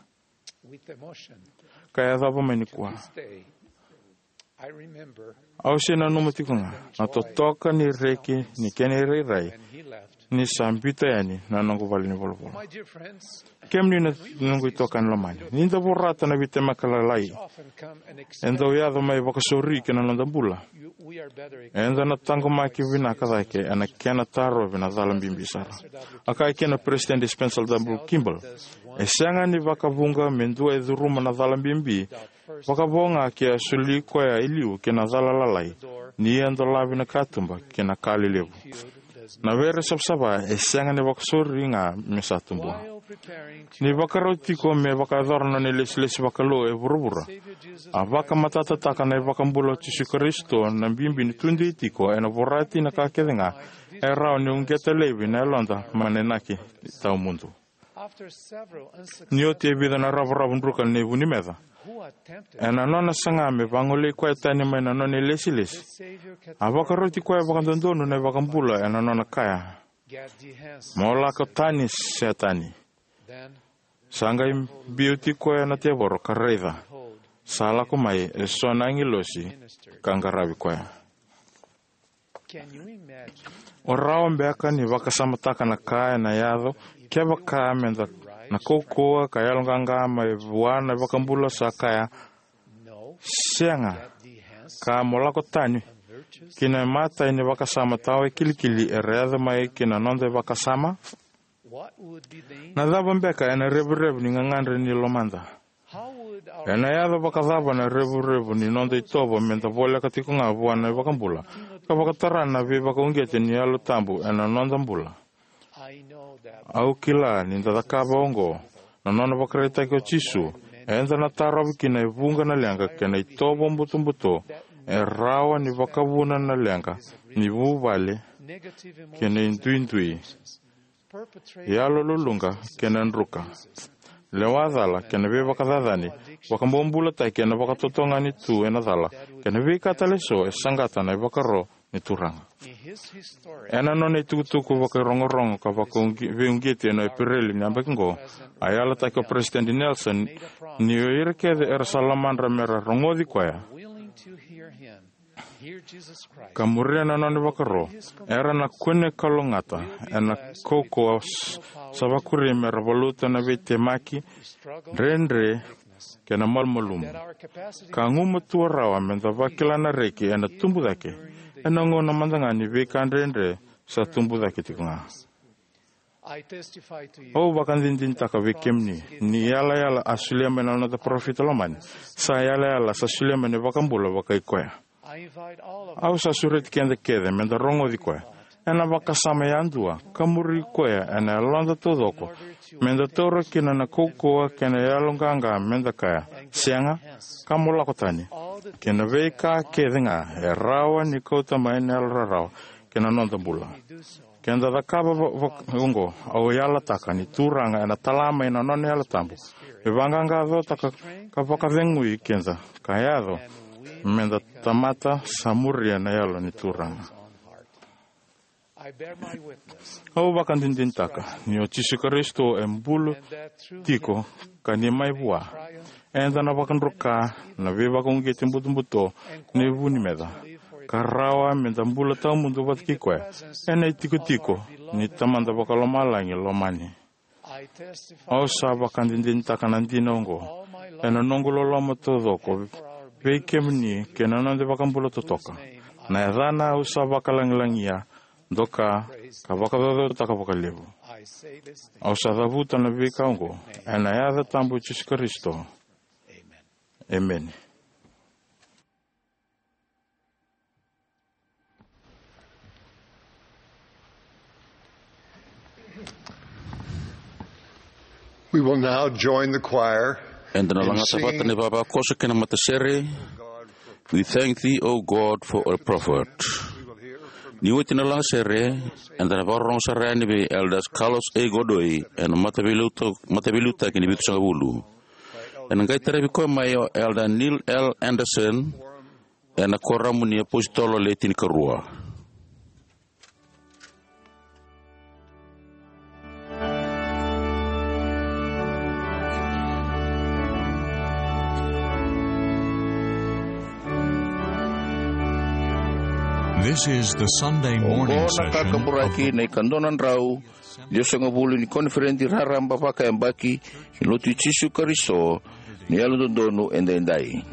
Ka yacova mai nikua. Au se nanuma tiko ga na totoka ni reki ni kena irairai ni sa biuta yani na noqu vale ni volavola. Kemuni na noqu itokani lomani, ni da vorata na veitemaki lalai e dau yaco mai vakasauri ki na noda bula, eda na taqomaki vinaka cake ena kena tarovi na cala bibi sara. A kaya kina o Peresitedi Spencer W. Kimball, e sega ni vakavuqa me dua e curuma na cala bibi vakavo ga ke a soli koya e liu ki na cala lalai, ni a dolavi na katuba ki na ka lelevu. Na vere savasava e sega ni vakasauri ga me sa tubu. Ni vakarau tiko me vakayacora na nona ilesilesi vakalou e vuravura, a vakamatatataka na iVakabula o Jisu Karisito na bibi ni tudei tiko ena vorati na ka kece ga e rawa ni uqeta laivi na yaloda mai na inaki tawamudu. Ni oti e vica na ravoravo druka ni vu ni meca, ena nona saga me vagolei koya tani mai na nona ilesilesi, a vakaroti koya vakadodonu na iVakabula ena nona kaya, "Mo lako tani, Setani." Sa qai biuti koya na tevoro ka raica, sa lako mai eso na agilosi ka qaravi koya. O rawa beka ni vakasamataka na ka ena yaco kevaka meda na kaukauwa ka yaloqaqa mai vua na iVakabula sa kaya, "Sega, ka mo lako tani," ki na imatai ni vakasama tawa e kilikili era yaco mai ki na noda ivakasama? Na cava beka ena revurevu ni gagadre ni lomada? Ena yaco vakacava na revurevu ni noda itovo meda voleka tiko ga vua na iVakabula ka vakatara na veivakauqeti ni Yalo Tabu ena noda bula? Au kila ni da cakava oqo, na nona vakaraitaki o Jisu, eda na tarovi kina e vuqa na leqa kei na itovo butobuto e rawa ni vakavuna na leqa ni vuvale kei na iduidui, yalo luluqa kei na druka, lewa cala kei na veivakacacani, vakabobulataki ena vakatotogani tu ena cala, kei na veika tale eso e saqata na ivakaro ni Turaga. Ena nona itukutuku vakairogorogo ka vakauqi-, veiuqeti ena Epereli ni yabaki oqo, a yalataki o Peresitedi Nelson ni o ira kece era sa lomadra mera rogoci koya ka muria na nona ivakaro, era na kune kalougata ena kaukauwa s-, sa vakuri mera valuta na veitemaki, dredre, kei na malumalumu. Ka gumatua rawa meda vakila na reki ena tubu cake ena gauna mada ga ni veika dredre sa tubu cake tiko ga. Au vakadinadinataka vei kemuni ni yalayala a solia mai na noda parofita lomani sa yalayala sa solia mai na iVakabula vakai koya. Au sa sureti keda kece meda rogoci koya ena vakasama yadua ka muri koya ena yaloda taucoko, meda taura kina na kaukauwa kei na yaloqaqa meda kaya, "Sega, ka mo lako tani." Kei na veika kece ga e rawa ni kauta mai na yalo rarawa kei na noda bula. Keda cakava va- va- oqo, au yalataka ni Turaga ena tala mai na nona Yalo Tabu me vaqaqacotaka ka vakacegui keda ka yaco meda tamata sa muria na Yalo ni Turaga. Au vakadinadinataka ni o Jisu Karisito e bula tiko ka ni mai vua, eda na vakadruka na veivakauqeti butobuto ni vu ni meca ka rawa meda bula tawamudu vata kei koya ena itikotiko ni Tamada Vakalomalagi lomani. Au sa vakadinadinataka na dina oqo ena noqu loloma taucoko vei kemuni kei na noda iVakabula totoka. Na yacana au sa vakalagilagia, doka, ka vakacaucautaka vakalevu. Au sa cavuta na veika oqo ena yaca tabu i Jisu Karisito. Emeni. We will now join the choir. Eda na lagata vata na ivavakoso kei na matasere. We thank thee, O God, for a prophet. Ni oti na lagasere, eda na vakarorogo sara yani vei Elders Carlos A. Godoy ena mataveiliuta- mataveiliutaki ni vitusagavulu. Ena qai tarai koya mai o Elder Neil L. Andersen ena Koramu ni iApositolo Le Tinikarua. This is the Sunday morning session of the Oqo na kakaburaki na ikadua na drau ciwasagavulu ni koniferedi raraba vakayabaki ni Lotu i Jisu Karisito ni Yalododonu Edaidai.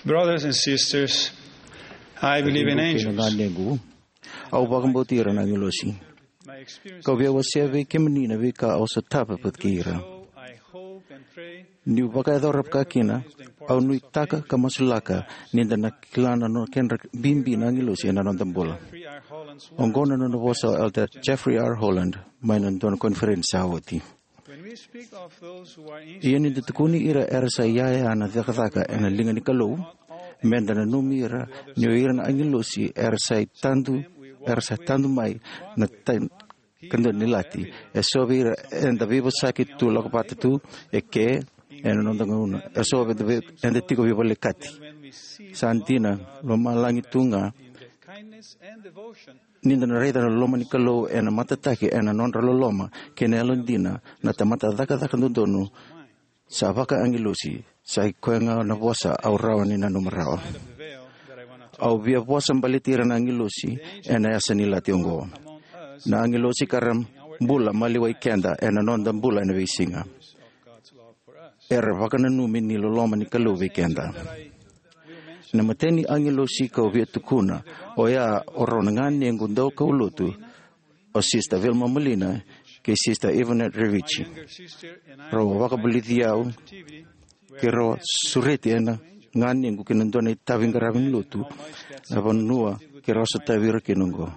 Brothers and sisters, I believe in angels. Au vakabauti ira na agilosi. Kau via wasea vei kemuni na veika au sotava vata kei ira. Niu vakayacora vakakina, au nuitaka ka masulaka ni da na kila na nona kedra bibi na agilosi ena noda bula. Oqo na nona vosa o Elder Jeffrey R. Holland mai na dua na koniferensi sa oti. Ia ni da tukuni ira era sa iyaya na cakacaka ena liga ni Kalou, meda nanumi ira ni o ira na agilosi era sa tadu, era sa tadu mai na tai ka dua ni lati. E so vei ira eda veivosaki tu lako vata tu e ke ena noda gauna. E so eda tiko veivolekati. Sa dina, lomalagi tu ga ni da na raica na loma ni Kalou ena matataki ena nodra loloma kei na yalodina na tamata cakacaka dodonu sa vakaagilosi. Sa i koya ga na vosa au rawa ni nanuma rawa. Au via vosa baleti ira na agilosi ena yasa ni lati oqo. Na agilosi ka ra bula maliwai keda ena noda bula ena veisiga. Era vakananumi ni loloma ni Kalou vei keda. Na matai ni agilosi kau via tukuna oya o rau na ganequ daukaulotu, o Sister Vilma Molina kei Sister Yvonne Revich. Rau vakavulici au ke rau sureti ena ganequ ki na dua na itavi qaravi ni lotu na vanua ke rau sotavi ira kina oqo.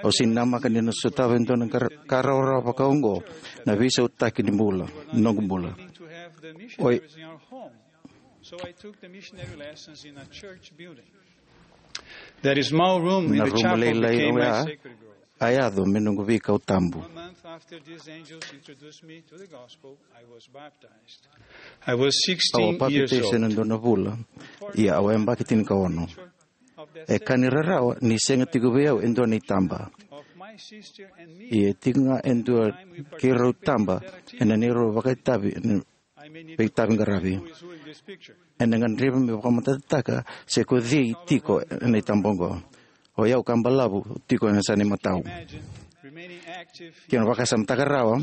Au sega ni namaka ni na sotava e dua na ka rawarawa vaka oqo na veisautaki ni bula, noqu bula. Oi. So I took the missionary lessons in a church building. That small room in the chapel became my sacred grove. A yaco me noqu veikau tabu. One month after these angels introduced me to the gospel, I was baptized. I was sixteen years old. Au a papitaiso ena dua na vula, ia au a yabaki tinikaono. E ka ni rarawa ni sega tiko vei au e dua na itaba. Ia e tiko ga e dua keirau taba ena neirau vakaitavi, veitavi qaravi. Ena gadrevi me vakamatatataka se ko cei tiko ena itaba oqo. O yau ka balavu tiko ena sa ni matau. Kena vakasamataka rawa,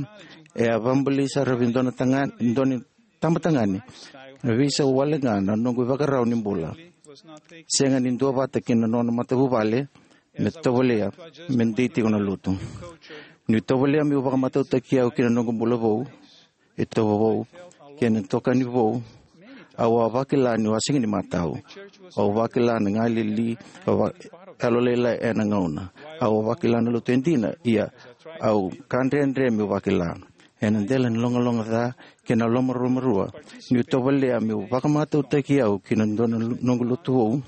e a vabuli sara vei dua na taga-, dua na taba tagane. Na veisau wale ga na noqu ivakarau ni bula. Sega ni duavata kina nona matavuvale me tovolea me dei tiko na lotu. Niu tovolea meu vakamatautaki au kina noqu bula vou, e tovo vou kei na itokani vou. Au a vakila niu a sega ni matau. Au vakila na galili, au va-, yalolailai ena gauna. Au a vakila na lotu e dina, ia au ka dredre meu vakila. Ena dela ni logaloga ca kei na lomaruarua, niu tovolea meu vakamatautaki au kina dua na noqu lotu vou.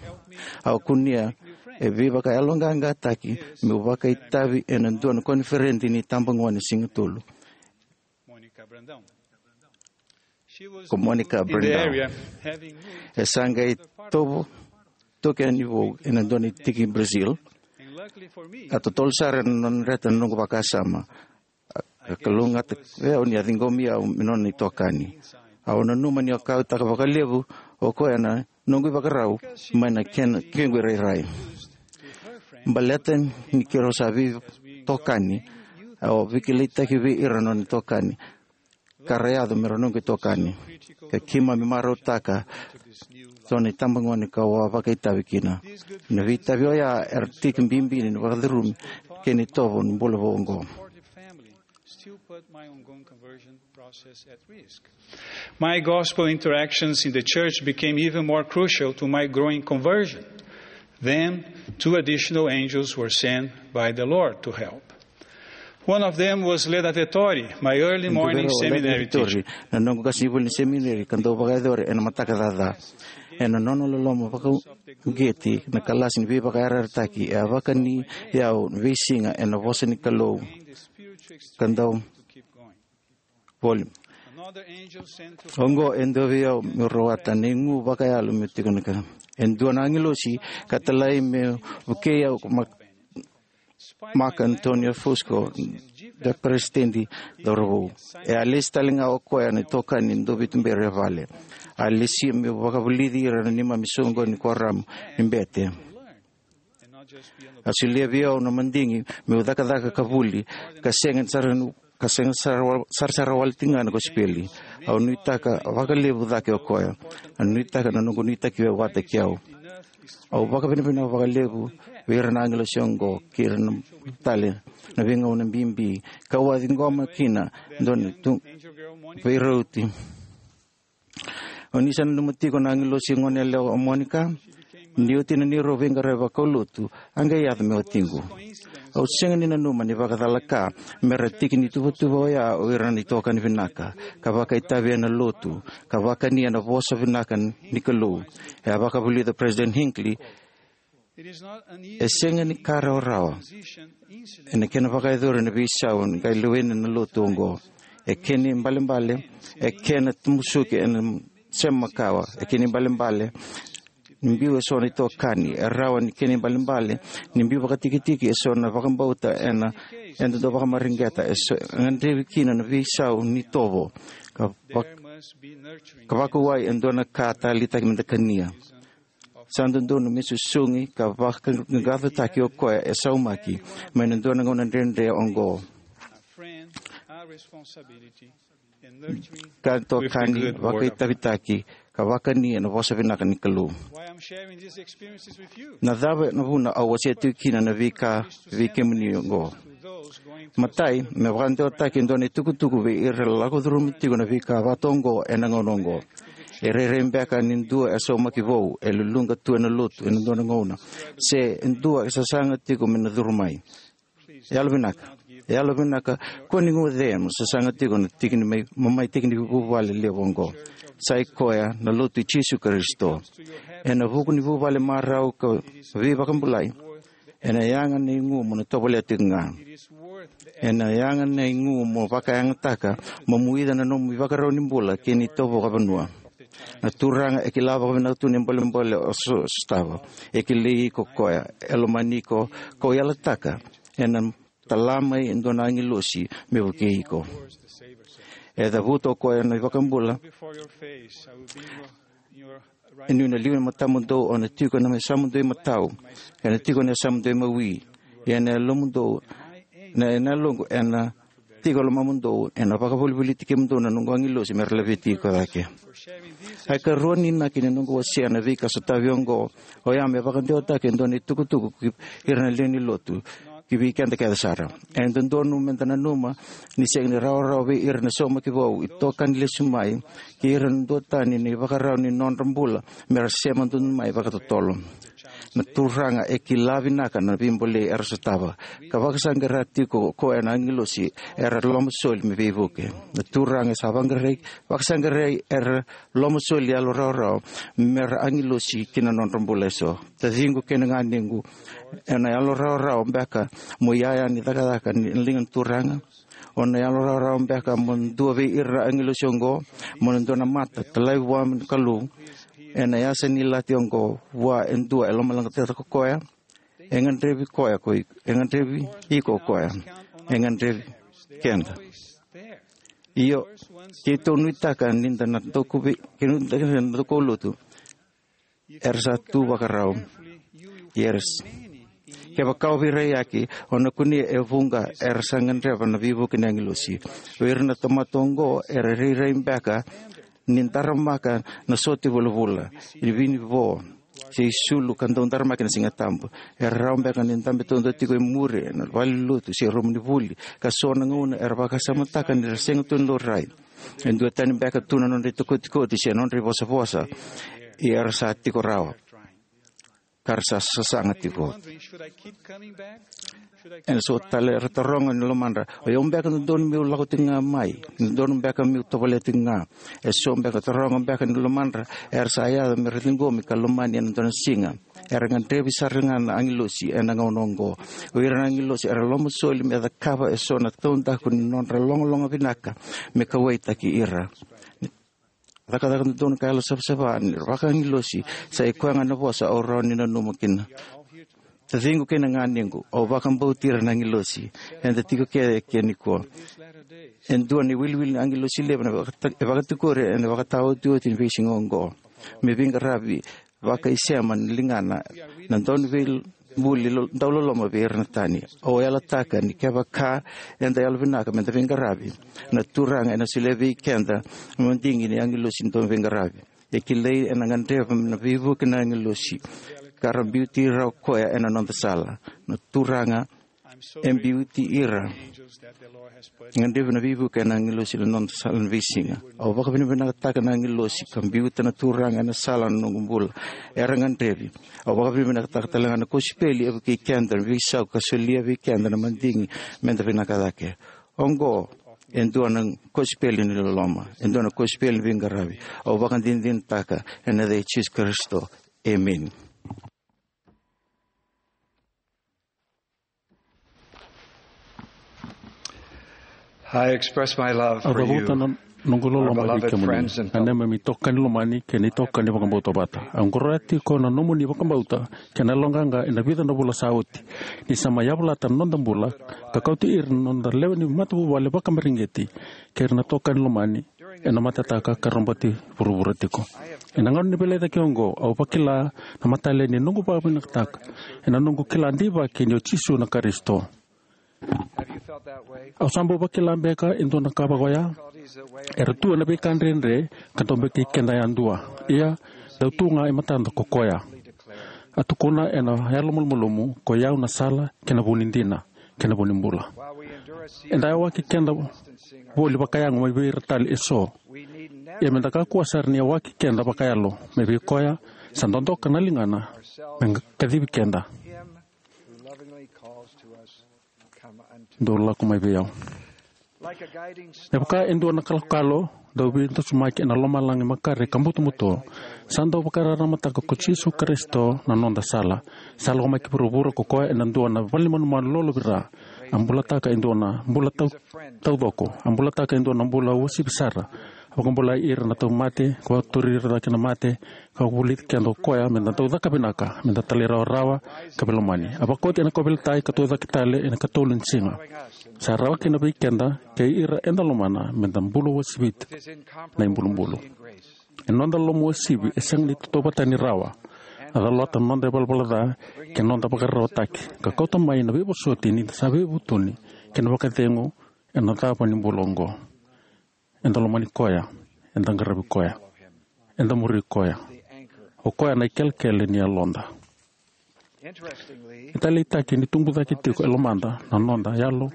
Au kunea e veivakayaloqaqataki meu vakaitavi ena dua na koniferedi ni tabagone siga tolu. Ko Monica Brandão. E sa qai tovo toki yani vou ena dua na itiki Brazil. A totolo sara ena nona dreta na noqu vakasama. A kalougata vei au ni a ciqomi au me nona itokani. Au nanuma ni a kauaitaka vakalevu o koya na noqu ivakarau mai na kena kequ irairai. Baleta ni keirau sa veitokani, au a veikilaitaki vei ira na nona itokani ka ra yaco me ra noqu itokani. Ka keimami marautaka so na itabagone kau a vakaitavi kina. Na veitavi oya era tiki bibi ni vakacurumi kei na itovo ni bula vou oqo. Still put my ongoing conversion process at risk. My gospel interactions in the church became even more crucial to my growing conversion. Then, two additional angels were sent by the Lord to help. One of them was Leda Vettori, my early morning seminary teacher. Na noqu qasenivuli ni semineri ka dau vakayacori ena mataka caca. Ena nona loloma vakauqeti na kalasi ni veivakayarayarataki, e a vakani au na veisiga ena vosa ni Kalou. Ka dau voli. Oqo e dua vei au meu rawata na igu vakayalo meu tiko na ka. E dua na agilosi ka talai meu vukei au ko Ma-, Marco Antonio Fusco, da peresitedi cauravou. E a lesi tale ga o koya na itokani dua veituberi e vale. A lesi meu vakavulici ira na neimami soqoni ni kuoramu ni bete. A solia vei au na madigi meu cakacaka ka vuli, ka sega sara, ka sega sara, sarasara wale tiko ga na kosipeli. Au nuitaka vakalevu cake o koya. Au nuitaka na noqu nuitaki vata kei au. Au vakavinavinaka vakalevu vei ira na agilosi oqo kei ira na tale na veigauna bibi, kau a ciqoma kina dua na tu veirauti. O ni sa nanuma tiko na agilosi gone yalewa o Monica? Ni oti na neirau veiqaravi vakaulotu, a qai yaco me watiqu. Au sega ni nanuma ni vakacala ka me ra tiki ni tuvatuva oya o ira na itokani vinaka, ka vakaitavi ena lotu, ka vakani ena vosa vinaka ni Kalou. E a vakavulica President Hinckley, e sega ni ka rawarawa ena kena vakayacori na veisau ni qai lewena na lotu oqo. E kena ibalebale, e kena tamusuki ena sema makawa. E kena ibalebale ni biu eso na itokani. E rawa ni kena ibalebale ni biu vakatikitiki eso na vakabauta ena, ena dau vakamareqeta eso e gadrevi kina na veisau ni tovo ka vak-, ka vakauwai e dua na ka taleitaki me da kania. Sa dodonu me susugi ka vakaqaqacotaki o koya e saumaki mai na dua na gauna dredre oqo. Ka tokani, vakaitavitaki, ka vakani ena vosa vinaka ni Kalou. Na cava na vuna au wasea tiko kina na veika vei kemuni oqo? Matai, me vakadewataki e dua na itukutuku vei ira lako curuma tiko na veika vata oqo ena gauna oqo. E rairai beka ni dua e saumaki vou, e luluqa tu ena lotu ena dua na gauna, se e dua e sasaga tiko me na curu mai. Yalovinaka, yalovinaka, kua ni guce mo sasaga tiko na tiki ni mai, mo mai tiki ni vuvale levu oqo. Sa i koya na lotu i Jisu Karisito. Ena vuku ni vuvale marau ka veivakabulai, ena yaga na igu mo na tovolea tiko ga. Ena yaga na igu mo vakayagataka mo muica na nomu ivakarau ni bula kei na itovo vakavanua. Na Turaga e kila vakavinaka tu na bolebole o so-, sotava. E kilai iko koya, e lomani iko, ko yalataka ena tala mai e dua na agilosi me vukei iko. E cavuta o koya na iVakabula. E niu na liu na matamudou, au na tiko ena yasamudou imatau, ena tiko ena yasamudou imawi, ena yalomudou, na, ena yaloqu, ena tiko e lomamudou, ena vakavolivoliti kemudou na noqu agilosi me ra laveti iko cake. A ikarua ni inaki ni noqu wasea na veika sotavi oqo, oya me vakadewataki e dua na itukutuku ki ira na lewe ni lotu, ki vei keda kece sara. E dodonu me da nanuma ni sega ni rawarawa vei ira na saumaki vou, itokani lesu mai, kei ira na duatani na ivakarau ni nodra bula me ra sema dodonu mai vakatotolo. Na Turaga e kila vinaka na veibolei era sotava, ka vakasaqara tiko o koya na agilosi era lomasoli me veivuke. Na Turaga e sa vaqarai, vakasaqarai era lomasoli yalo rawarawa me ra agilosi ki na nodra bula eso. Taciqu kei na ganequ, ena yalo rawarawa beka mo iyaya ni cakacaka ni liga ni Turaga? O na yalo rawarawa beka mo dua vei ira na agilosi oqo, mo na dua na mata talai vua na Kalou ena yasa ni lati oqo, vua e dua e lomaleqataka o koya? E gadrevi koya ko i-, e gadrevi iko o koya. E gadrevi keda. Io, keitou nuitaka ni da na doku vei, keitou nuitaka ni da na doku lotu. Era sa tu vakarau. Ia era s-, kevaka o veiraiyaki, o na kunea e vuqa era sa gadreva na veivuke ni agilosi. Vei ira na tamata oqo, era rairai beka ni daramaka na sote vulavula, ni vinivo, se isulu ka dau daramaki na Siga Tabu. Era rawa beka ni dabe taudua tiko e muri ena valenilotu se rumu ni vuli, ka so na gauna era vakasamataka ni ra sega tu ni laurai. E dua tani beka tu na nodra itokotikoti se nodra ivosavosa, ia era sa tiko rawa, ka ra sa sasaga tiko. Ena so tale era taroga ni lomadra, o yau beka dodonu meu lako tiko ga mai, dodonu beka meu tovolea tiko ga? E so beka taroga beka ni lomadra era sa yaco me ra ciqomi ka lomani ena dua na siga. Era gadrevi sara ga na agilosi ena gauna oqo. O ira na agilosi era lomasoli me cakava e so na taudaku ni nodra logaloga vinaka me kauwaitaki ira. Cakacaka dodonu ka yalo savasava ni ra vakaagilosi, sa i koya ga na vosa au rawa ni nanuma kina. Taciqu kei na ganequ, au vakabauti ira na agilosi. Eda tiko kece eke nikua. E dua na iwiliwili ni agilosi levu na vakata-, e vakatikori ena vakataotioti ni veisiga oqo. Me veiqaravi vakaisema ni ligana na daunivei buli lo-, dauloloma vei ira na tani. Au yalataka ni kevaka eda yalovinaka meda veiqaravi, na Turaga ena solia vei keda na madigi ni agilosi dau veiqaravi. E kilai ena gadreva na veivuke na agilosi ka ra biuti ira o koya ena noda sala. Na Turaga e biuti ira, gadrevi na veivuke na agilosi na noda sala na veisiga. Au vakavinavinakataka na agilosi ka biuta na Turaga ena sala na noqu bula era gadrevi. Au vakavinavinakataka talega na kosipeli e vukei keda na veisau ka solia vei keda na madigi meda vinaka cake. Oqo e dua na kosipeli ni loloma, e dua na kosipeli ni veiqaravi. Au vakadinadinataka ena yaca i Jisu Karisito. Emeni. I express my love Au for you, cavuta na noqu our loloma vei beloved kemuni, friends and na neimami itokani lomani kei na itokani vakabauta vata. Au qoroya tiko na nomuni vakabauta kei na yaloqaqa ena vica na vula sa oti, ni sa mai yavalata na noda bula ka kauti ira na noda lewe ni matavuvale vakamareqeti kei ira na itokani lomani ena matataka ka roboti vuravura tiko. Ena gauna ni veilecayaki oqo, au vakila na matale ni noqu vakavinakataka ena noqu kila deivaki ni o Jisu na Karisito. Au sa bau vakila beka e dua na ka vaka oya? Era tu ena veika dredre ka dau beka i keda yadua. Ia, dau tu ga e matada ko koya. A tukuna ena yalomalumalumu, ko i au na sala kei na vu ni dina kei na vu ni bula. Eda yawaki keda voli vakayago mai vei ira tale eso. Ia meda kakua sara ni yawaki keda vakayalo mai vei koya sa dodoka na ligana me kacivi keda. Dou lako mai vei au. Me vaka e dua na kalokalo dau veidusimaki ena lomalagi makare ka butobuto, sa dau vakararamataka ko Jisu Karisito na noda sala. Sa lako mai ki vuravura ko koya ena dua na valenimanumanu lolovira. A bulataka e dua na bula tau, taucoko. A bulataka e dua na bula uasivi sara. A vakabulai ira na tauvimate, ka vakaturi ira cake na mate, ka vulici keda o koya meda dau caka vinaka, meda talairawarawa ka veilomani. A vakoti ena kauveilatai ka tucake tale ena ikatolu ni siga. Sa rawa kina vei keda kei ira eda lomana meda bula uasivita na ibulubulu. E noda loloma uasivi e sega ni tautauvata ni rawa. A calata na noda ivalavala ca kei na noda vakararawataki, ka kauta mai na veivosoti ni da sa veivutuni kei na vakacegu ena cava ni bula oqo. Eda lomani koya, eda qaravi koya, eda muri koya. O koya na ikelekele ni yaloda. E taleitaki ni tubu cake tiko e lomada na noda yalo,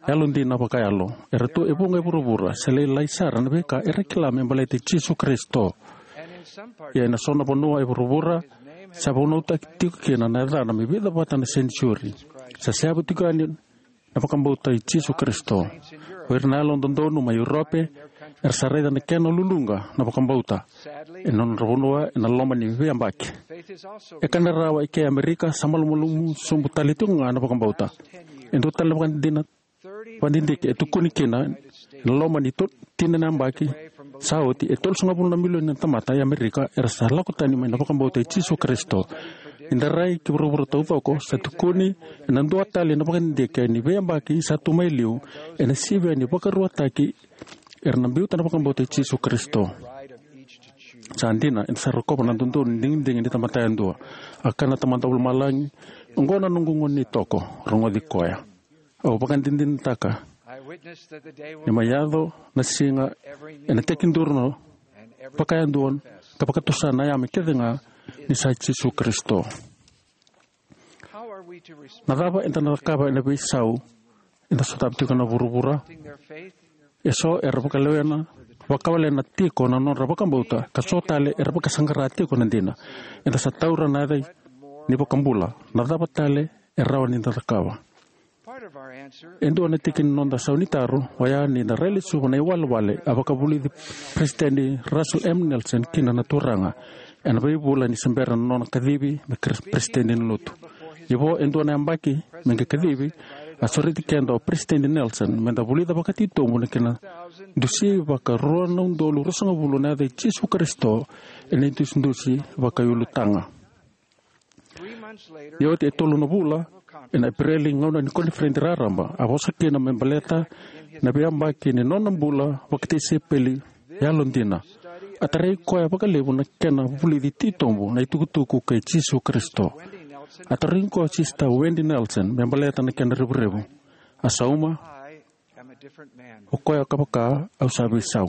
yalodina vakayalo. Era tu e vuqa e vuravura se lailai sara na veika era kila me baleti Jisu Karisito. Ia ena so na vanua e vuravura, sa vunautaki tiko kina na yacana me vica vata na senitiuri. Sa seavu tiko yani na vakabauta i Jisu Karisito. O ira na yalododonu mai Europe era sa raica na kena luluqa na vakabauta ena nodra vanua ena loma ni veiyabaki. E kana rawa e ke Amerika, sa malumalumu sobu tale tiko ga na vakabauta. E dua tale na vakadina, vakadidike e tukuni kina ena loma ni to-, tini na yabaki sa oti, e tolusagavulu na milioni na tamata e Amerika era sa lako tani mai na vakabauta i Jisu Karisito. Ni da rai ki vuravura taucoko, sa tukuni ena dua tale na vakadidike ni veiyabaki sa tu mai liu ena sivia ni vakaruataki era na biuta na vakabauta i Jisu Karisito. Sa dina, eda sa rokova na dodonu ni digidigi ni tamata yadua. A kaya na Tamada Vakalomalagi, oqo na noqu gone ni toko, rogoci koya. Au vakadinadinataka ni mai yaco na siga ena tekiduru na vakayadua ka vakatusa na yame kece ga ni sa Jisu Karisito. Na cava eda na cakava ena veisau eda sotava tiko na vuravura? Eso era vakalewena, vakawalena tiko na nodra vakabauta, ka so tale era vakasaqara tiko na dina. Eda sa taura na yaca ni vakabula. Na cava tale e rawa ni da cakava? E dua na tiki ni noda sau ni taro oya ni da rai lesuva na iwalewale a vakavulici Peresitedi Russell M Nelson kina na Turaga ena veivula ni se bera na nona kacivi me kres-, peresitedi ni lotu. Ia vo e dua na yabaki me qai kacivi, a sureti keda o Peresitedi Nelson meda vulica vakatitobu na kena dusi vakarua na udolu ruasagavulu na yaca i Jisu Karisito ena idusidusi vakaiulutaga. Ia oti e tolu na vula, ena Epereli, gauna ni koniferedi raraba, a vosa kina me baleta na veiyabaki ni nona bula vakatisaipeli yalodina. A tarai koya vakalevu na kena vulici titobu na itukutuku kei Jisu Karisito. A tarogi koya o Sisita Wendy Nelson me baleta na kena revurevu. A sauma, o koya ka vaka au sa veisau.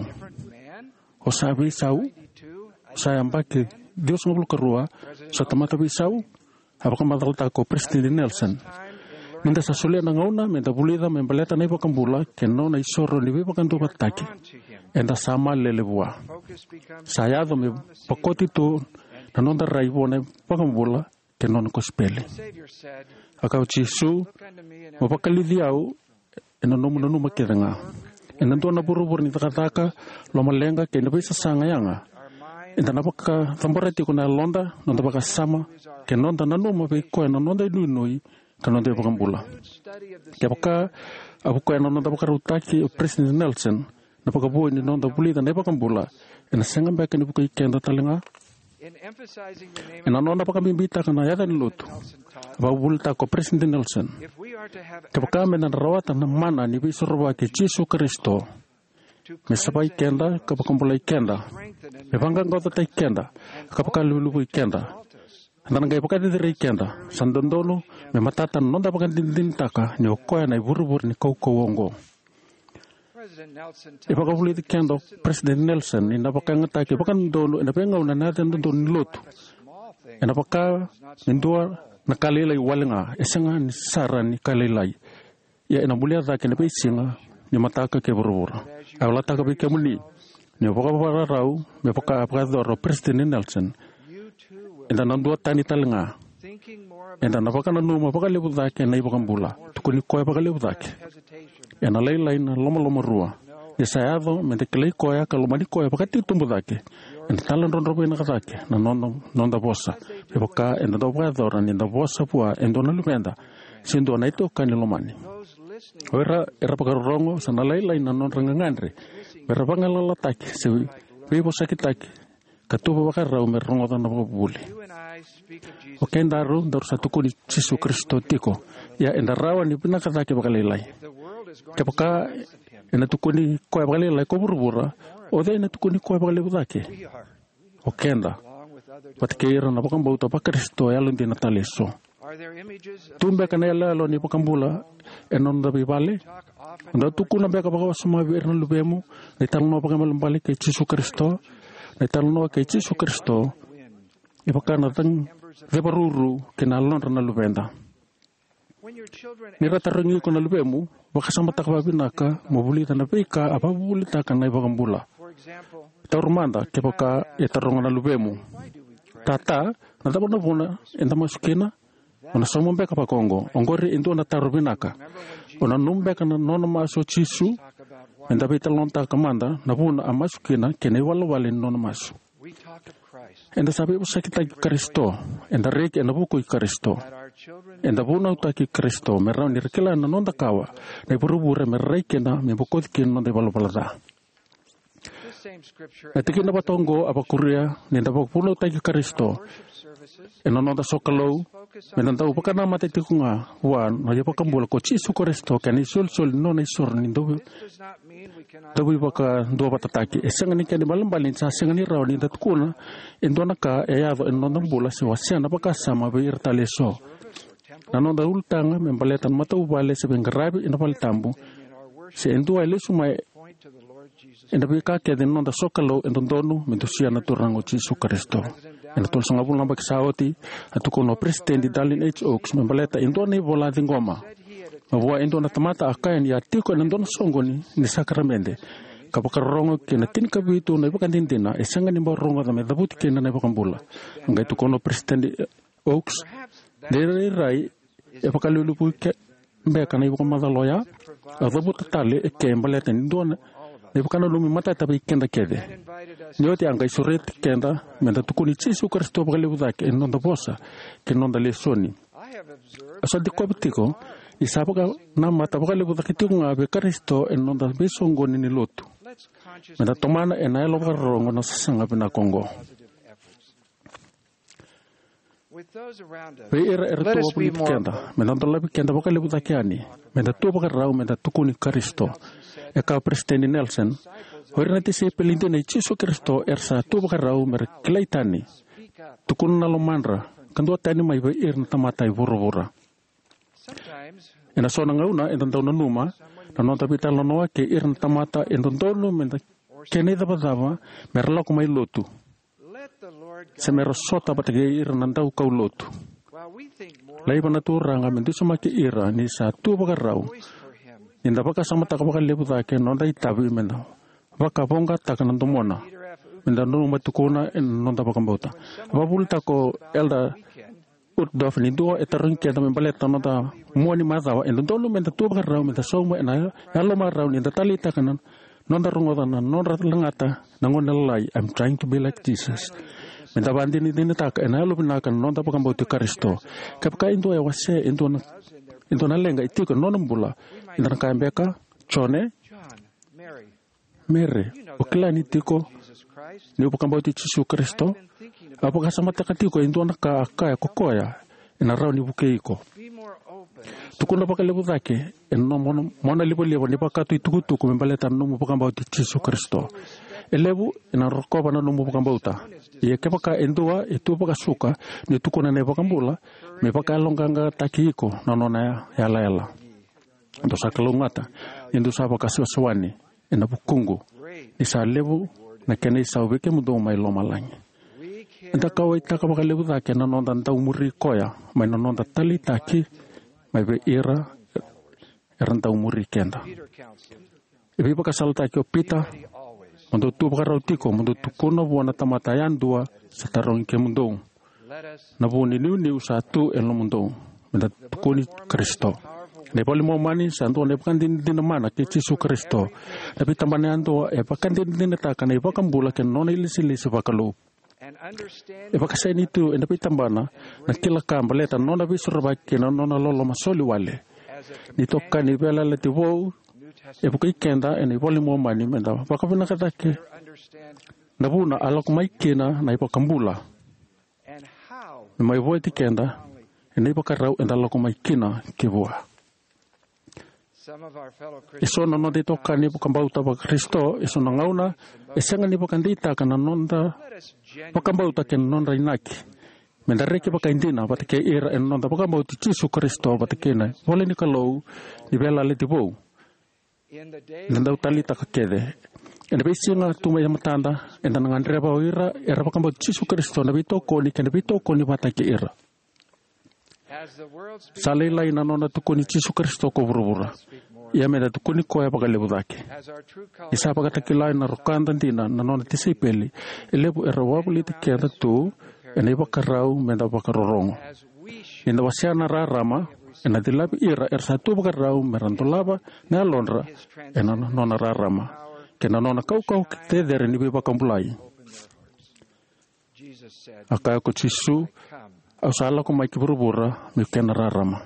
O sa veisau, sa yabaki ciwasagavulu ka rua, sa tamata veisau. A vakamacalataka ko President Nelson, ni da sa solia na gauna me da vulica me baleta na iVakabula kei na nona isoro ni veivakaduavatataki, eda sa malele vua. Sa yaco me vakoti tu na noda rai vua na iVakabula kei na nona kosipeli. A kaya o Jisu, mo vakaliuci au ena nomu nanuma kece ga. Ena dua na vuravura ni cakacaka, lomaleqa kei na veisasaga yaga, eda na vakacabora tiko na yaloda, noda vakasama, kei na noda nanuma vei koya na noda inuinui ka noda iVakabula. Kevaka a vukoya na noda vakarautaki o President Nelson na vakavoui ni noda vulica na iVakabula, ena sega beka ni vukei keda tale ga? Ena nona vakabibitaka na yaca ni lotu, a vakavuvulitaka ko President Nelson, kevaka me da na rawata na mana ni Veisorovaki i Jisu Karisito me savai keda ka vakabulai keda, me vaqaqacotaki keda ka vakalevulevui keda, eda na qai vakacecerei keda, sa dodonu me matata na noda vakadinadinataka ni o koya na ivurevure ni kaukauwa oqo. E vakavulici keda o President Nelson ni na vakayagataki vakadodonu ena veigauna na yaca dodonu ni lotu. Ena vaka ni dua na ka lailai wale ga, e sega ni sara ni ka lailai. Ia ena bulia cake ena veisiga ni mataka kei vuravura. Au yalataka vei kemuni, ni o vakavakarau me vaka a vakayacora o President Nelson, eda na duatani tale ga. Eda na vakananuma vakalevu cake na iVakabula, tukuni koya vakalevu cake. Ena lailai na lomalomarua. Ni sa yaco me da kilai koya ka lomani koya vakatitobu cake, eda taladrodro vinaka cake na noda, noda vosa, me vaka eda dau vakayacora ni da vosa vua e dua na luveda se dua na itokani lomani. O ira era vakarorogo, sa na lailai na nodra gagadre me ra vagalalataki se veivosakitaki ka tuva vakarau me ra rogoca na vakavuvuli. O kedaru, daru sa tukuni Jisu Karisito tiko, ia eda rawa ni vinaka cake vakalailai. Kevaka ena tukuni koya vakalailai ko vuravura, o cei ena tukuni koya vakalevu cake? O keda, vata kei ira na vakabauta vaKarisito yalodina tale eso. Tu beka na iyaloyalo ni iVakabula ena noda veivale? O dau tukuna beka vakawasoma vei ira na luvemu na italanoa vakaibalebale kei Jisu Karisito, na italanoa kei Jisu Karisito e vaka na cag-, cevaruru kei na yalodra na luveda? Ni ra tarogi iko na luvemu, vakasamataka vakavinaka mo vulica na veika a vakavuvulitaka na iVakabula. Taura mada kevaka e taroga na luvemu, "Tata, na cava na vuna eda masu kina?" O na sauma beka vakaoqo. Oqori e dua na taro vinaka. O nanuma beka na nona masu o Jisu? Meda veitalanoataka mada na vuna a masu kina kei na iwalewale ni nona masu. Eda sa veivosakitaki Karisito. Eda reki ena vuku i Karisito. Eda vunautaki Karisito me rawa ni ra kila na noda kawa na ivurevure me ra rai kina me bokoci kina na noda ivalavala ca. Na tikina vata oqo a vakuria ni da vakavunautaki Karisito ena noda sokalou, me da dau vakanamata tiko ga vua na iVakabula ko Jisu Karisito kei na isolisoli ni nona isoro ni dau, dau veivakaduavatataki. E sega ni kena ibalebale ni sa sega ni rawa ni da tukuna e dua na ka e yaco ena noda bula se wasea na vakasama vei ira tale eso. Na noda ulutaga me baleta na matavuvale se veiqaravi ena valetabu, se e dua e lesu mai ena veika kece ni noda sokalou, e dodonu me dusia na Turaga o Jisu Karisito. Ena tolusagavulu na yabaki sa oti, a tukuna o Peresitedi Dallin H. Oaks me baleta e dua na ivola a ciqoma mai vua e dua na tamata, a kaya ni a tiko ena dua na soqoni ni sakaramede ka vakarorogo ki na tinikavitu na ivakadinadina e sega ni bau rogoca me cavuti kina na iVakabula. A qai tukuna o Peresitedi Oaks, "De rairai e vakalevulevu ke beka na ivakamacala oya?" A cavuta tale eke baleta ni dua na ivakananumi matata vei keda kece. Ni oti a qai sureti keda me da tukuni Jisu Karisito vakalevu cake ena noda vosa kei na noda lesoni. Au sa dikova tiko ni sa vakanamata vakalevu cake tiko ga vei Karisito ena noda veisoqoni ni lotu. Me da tomana ena yalo vakarorogo na sasaga vinaka oqo. Vei ira era tu wavoliti keda, me da dolavi keda vakalevu cake yani. Me da tu vakarau me da tukuni Karisito. E kaya o Peresitedi Nelson, "O ira na tisaipeli dina i Jisu Karisito era sa tu vakarau me ra kilai tani, tukuna na lomadra, ka duatani mai vei ira na tamata e vuravura. Ena so na gauna eda dau nanuma na noda veitalanoa kei ira na tamata e dodonu meda kena icavacava mera lako mai lotu se mera sota vata kei ira na daukaulotu. Laiva na Turaga me dusimaki ira ni sa tu vakarau ni da vakasamataka vakalevu cake na noda itavi meda vakavoqataka na domona, meda nanuma, tukuna ena noda vakabauta. Vakavuvulitaka o Elder Uchtdorf ni dua e tarogi keda me baleta na noda mua ni macawa, e dodonu meda tu vakarau, meda sauma ena yalomarau ni da taleitaka na noda rogoca, na noda lagata na gone lalai, "I'm trying to be like Jesus." Meda vakadinadinataka ena yalovinaka na noda vakabauti Karisito. Kevaka e dua e wasea e dua na, e dua na leqa e tiko ena nona bula, eda na kaya beka, "Jone, Mere, o kila ni tiko niu vakabauti Jisu Karisito? Au vakasamataka tiko e dua na ka a kaya ko koya ena rawa ni vukei iko." Tukuna vakalevu cake ena nomu monalivaliva ni vakatu itukutuku me baleta na nomu vakabauti Jisu Karisito. E levu ena rokova na nomu vakabauta. Ia kevaka e dua e tu vakasuka ni tukuna na iVakabula, me vakayaloqaqataki iko na nona yalayala. Dou sa kalougata ni dou sa vakasewasewani ena vukuqu, ni sa levu na kena isau vei kemudou mai lomalagi. Eda kauwaitaka vakalevu cake na noda dau muri koya mai na noda taleitaki mai vei ira era dau muri keda. E veivakasalataki o Pita, "Mo dou tu vakarau tiko, mo dou tukuna vua na tamata yadua sa tarogi kemudou na vu ni niuniu sa tu e lomamudou, meda tukuni Karisito." Na iVola i Momani sa dua na ivakadinadina mana kei Jisu Karisito. Na veitabana yadua e vakadinadinataka na iVakabula kei na nona ilesilesi vakalou. E vakaseni tu ena veitabana na kila ka baleta na nona veisorovaki kei na nona loloma soli wale. Ni itokani ni Veiyalayalati Vou, e vukei keda ena iVola i Momani meda vakavinaka cake na vuna a lako mai kina na iVakabula me mai vueti keda ena ivakarau eda lako mai kina ki vua. Eso na noda itokani vakabauta Vakarisito eso na gauna e sega ni vakadeitaka na noda vakabauta kei na nodra inaki. Meda reki vakaidina vata kei ira ena noda vakabauti Jisu Karisito vata kei na ivola ni Kalou ni Veiyalayalati Vou. Eda dau taleitaka kece ena veisiga tu mai matada, eda na gadreva o ira era vakabauti Jisu Karisito na veitokoni kei na veitokoni vata kei ira. Sa lailai na nona tukuni Jisu Karisito ko vuravura, ia meda tukuni koya vakalevu cake. Ni sa vakatakila ena rokada dina na nona tisaipeli, e levu era wavoliti keda tu ena ivakarau meda vakarorogo. Ni da wasea na rarama, ena cilavi ira era sa tu vakarau mera dolava na yalodra ena nona rarama kei na nona kaukauwa cecere ni veivakabulai. A kaya ko Jisu, "Au sa lako mai ki vuravura meu kena rarama."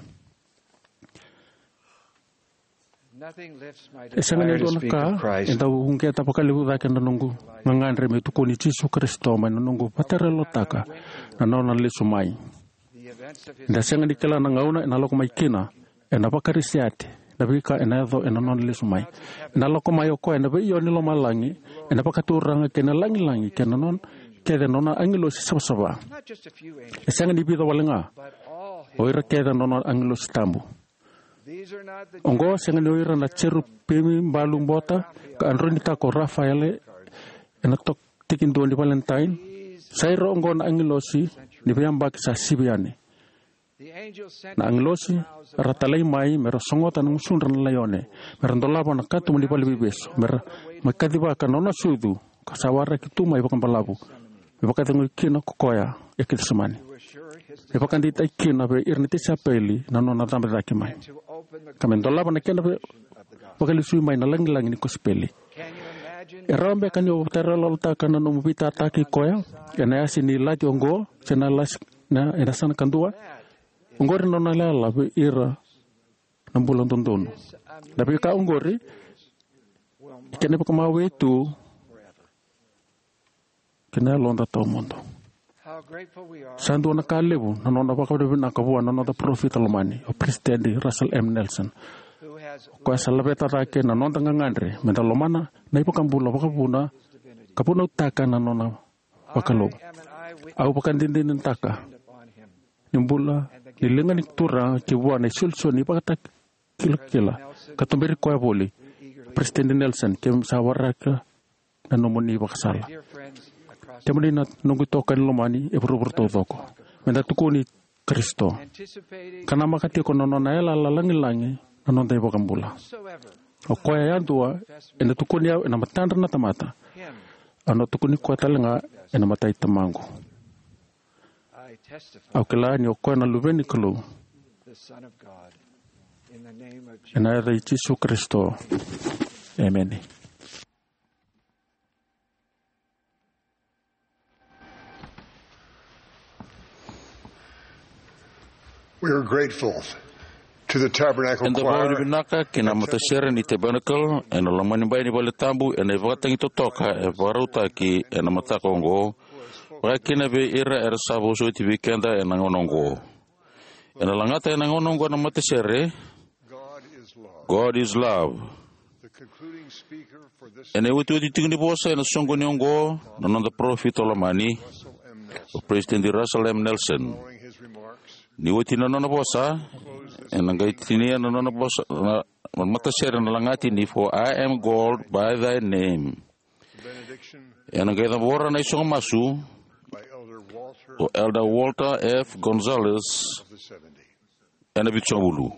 E sega ni dua na ka e dau uqeta vakalevu cake na noqu gagadre meu tukuni Jisu Karisito mai na noqu vakaterelotaka na nona lesu mai. Eda sega ni kila na gauna ena lako mai kina, ena vakarisiati na veika ena yaco ena nona lesu mai. Ena lako mai o koya ena veio ni lomalagi ena vakaturaga kei na lagilagi kei na nona kece na nona agilosi savasava. E sega ni vica wale ga, o ira kece na nona agilosi tabu. Oqo sega ni o ira na jerupimi balu bota ka a droinitaka ko Rafaele ena tok- tikidua ni Valentine. Sa ira oqo na agilosi ni veiyabaki sa sivi yani. Na agilosi ra talai mai mera sogota na gusudra na laione, mera dolava na katuba ni valeniveivesu, mera mai kacivaka na nona sucu, ka sa waraki tu mai vakabalavu me vakacegui kina ko koya e Kecisemani, me vakadeitaki kina vei ira na tisaipeli na nona cabe cake mai, ka me dolava na kena ve- vakalesui mai na lagilagi ni kosipeli. E rawa beka ni o vakaterelotaka na nomu veitataki koya ena yasa ni ilati oqo se na lasi na ena yasana kadua? Oqori na nona yalayala vei ira na bula dodonu. Na veika oqori e kena vakamawe tu ki na yaloda tawamudu. Sa dua na ka levu na nona vakavinavinaka vua na noda parofita lomani, o Peresitedi Russell M. Nelson, o koya sa laveta cake na noda gagadre meda lomana na iVakabula vakavuna ka vunautaka na nona vakalou. Au vakadinadinataka ni bula ni liga ni Turaga ki vua na isolisoli ni ivakatakilakila, ka tuberi koya voli. Peresitedi Nelson, keimami sa waraka na nomuni ivakasala. Kemuni na noqu itokani lomani e vuravura taucoko, me da tukuni Karisito ka namaka tiko na nona yalayala lagilagi na noda iVakabula. O koya yadua ena tukuni au ena matadra na tamata, au na tukuni koya talega ena mata i Tamaqu. Au kila ni o koya na Luve ni Kalou. Ena yaca i Jisu Karisito, emeni. We are grateful to the Tabernacle Eda Choir vakavinavinaka ki na matasere ni Tabernacle ena lomanibai ni vale tabu ena ivakatagi totoka e vakarautaki ena mataka oqo, vakakina vei ira era sa vosoti vei keda ena gauna oqo. Ena lagata ena gauna oqo na matasere, God is love. Ena iotioti tiko ni vosa ena soqoni oqo na noda parofita lomani, o Peresitedi Russell M. Nelson. Ni oti na nona vosa, ena qai tinia na nona vosa na matasere na lagati ni For I am called by thy name. Ena qai cabora na isogo masu o Elder Walter F. Gonzalez ena vitusagavulu.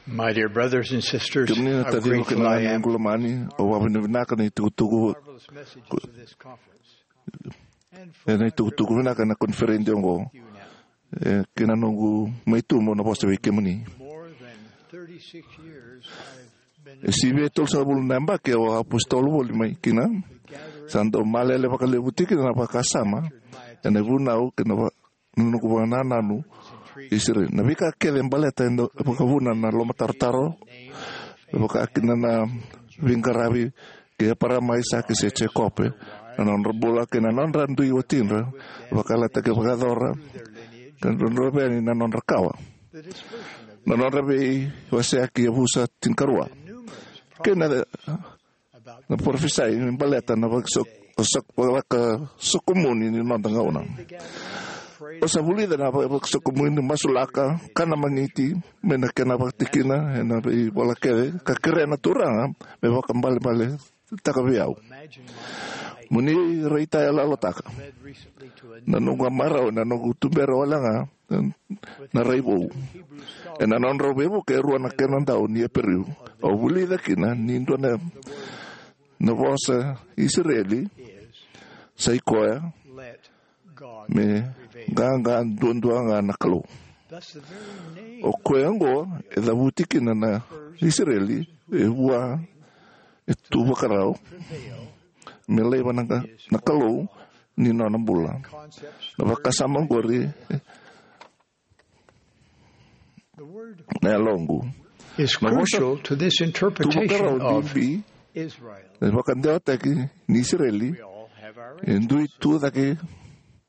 My dear brothers and sisters, kemuni na how taciqu grateful kei na I am. Ganequ lomani, au vakavinavinaka na itukutuku, marvelous messages of this conference. And for ena itukutuku vinaka na koniferedi oqo. You now. E, kei na noqu mai tubu na vosa vei kemuni. More than thirty-six years I've been E sivia e tolusagavulu na yabaki au a apositolo voli mai kina. Sa dau malele vakalevu tiko kina na vakasama ena vunau kei na va-, na noqu vakanananu. Isireli. Na veika kece e baleta e dau vakavuna na lomatarotaro, e vaka kina na veiqaravi kei Eparama, Aisake se Jekope, na nodra bula kei na nodra dui watidra, vakayalataki vakayacora, kei na nodra veni na nodra kawa. Na nodra veiwaseyaki yavusa tinikarua. Kei na na parofisai me baleta na vakasok-, sok-, vakasokomuni ni noda gauna. O sa vulica na vakasokomuni, masulaka, kana magiti, me na kena vakatikina ena veivola kece, ka kerea na Turaga me vakabalebale taka vei au. Mo ni raitayaloyalotaka na noqu a marau ena noqu tubera wale ga na rai vou. Ena nodrau veivuke e rua na kena dau ni Iperiu, au vulica kina ni dua na, na vosa Isireli sa i koya: me qaqa duadua ga na Kalou. O koya oqo e cavuti kina na Isireli e vua e tu vakarau me laiva na, na Kalou ni nona bula. Na vakasama oqori na yaloqu. Is na vosa crucial to this tu vakarau interpretation of bibi Israel. E vakadewataki ni Isireli. We all have our e dui tu cake.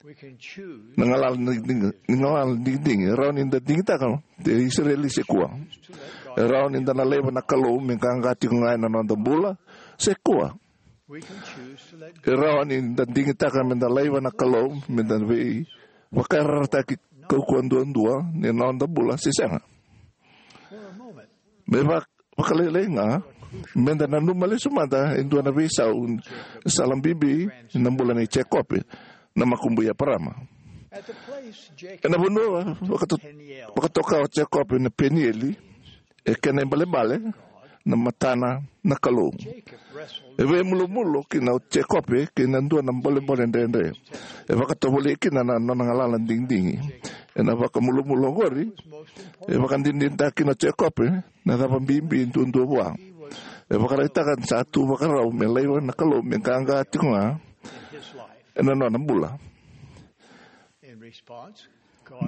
We can choose na galala ni digidigi, ni galala ni digidigi. E rawa ni da digitaka e Isireli se kua. E rawa ni da na laiva na Kalou me qaqa tiko ga ena noda bula se kua. E rawa ni da digitaka me da laiva na Kalou me da vei vakayarayarataki kaukauwa duadua ni noda bula se sega. Me va-, vakalailai ga, me da nanuma lesu mada e dua na veisau, sala bibi na bula nei Jekope, na makubui Eparama. Ena vanua vakato-, vakatoka o Jekope na Penieli, e kena ibalebale na matana na Kalou. E veimulumulo kina o Jekope kei na dua na bolebole dredre. E vakatovolei kina na nona galala digidigi. Ena vakamulumulo oqori, e vakadinadinataka kina o Jekope na cava bibi duadua vua. E vakaraitaka ni sa tu vakarau me laiva na Kalou me qaqa tiko ga ena nona bula.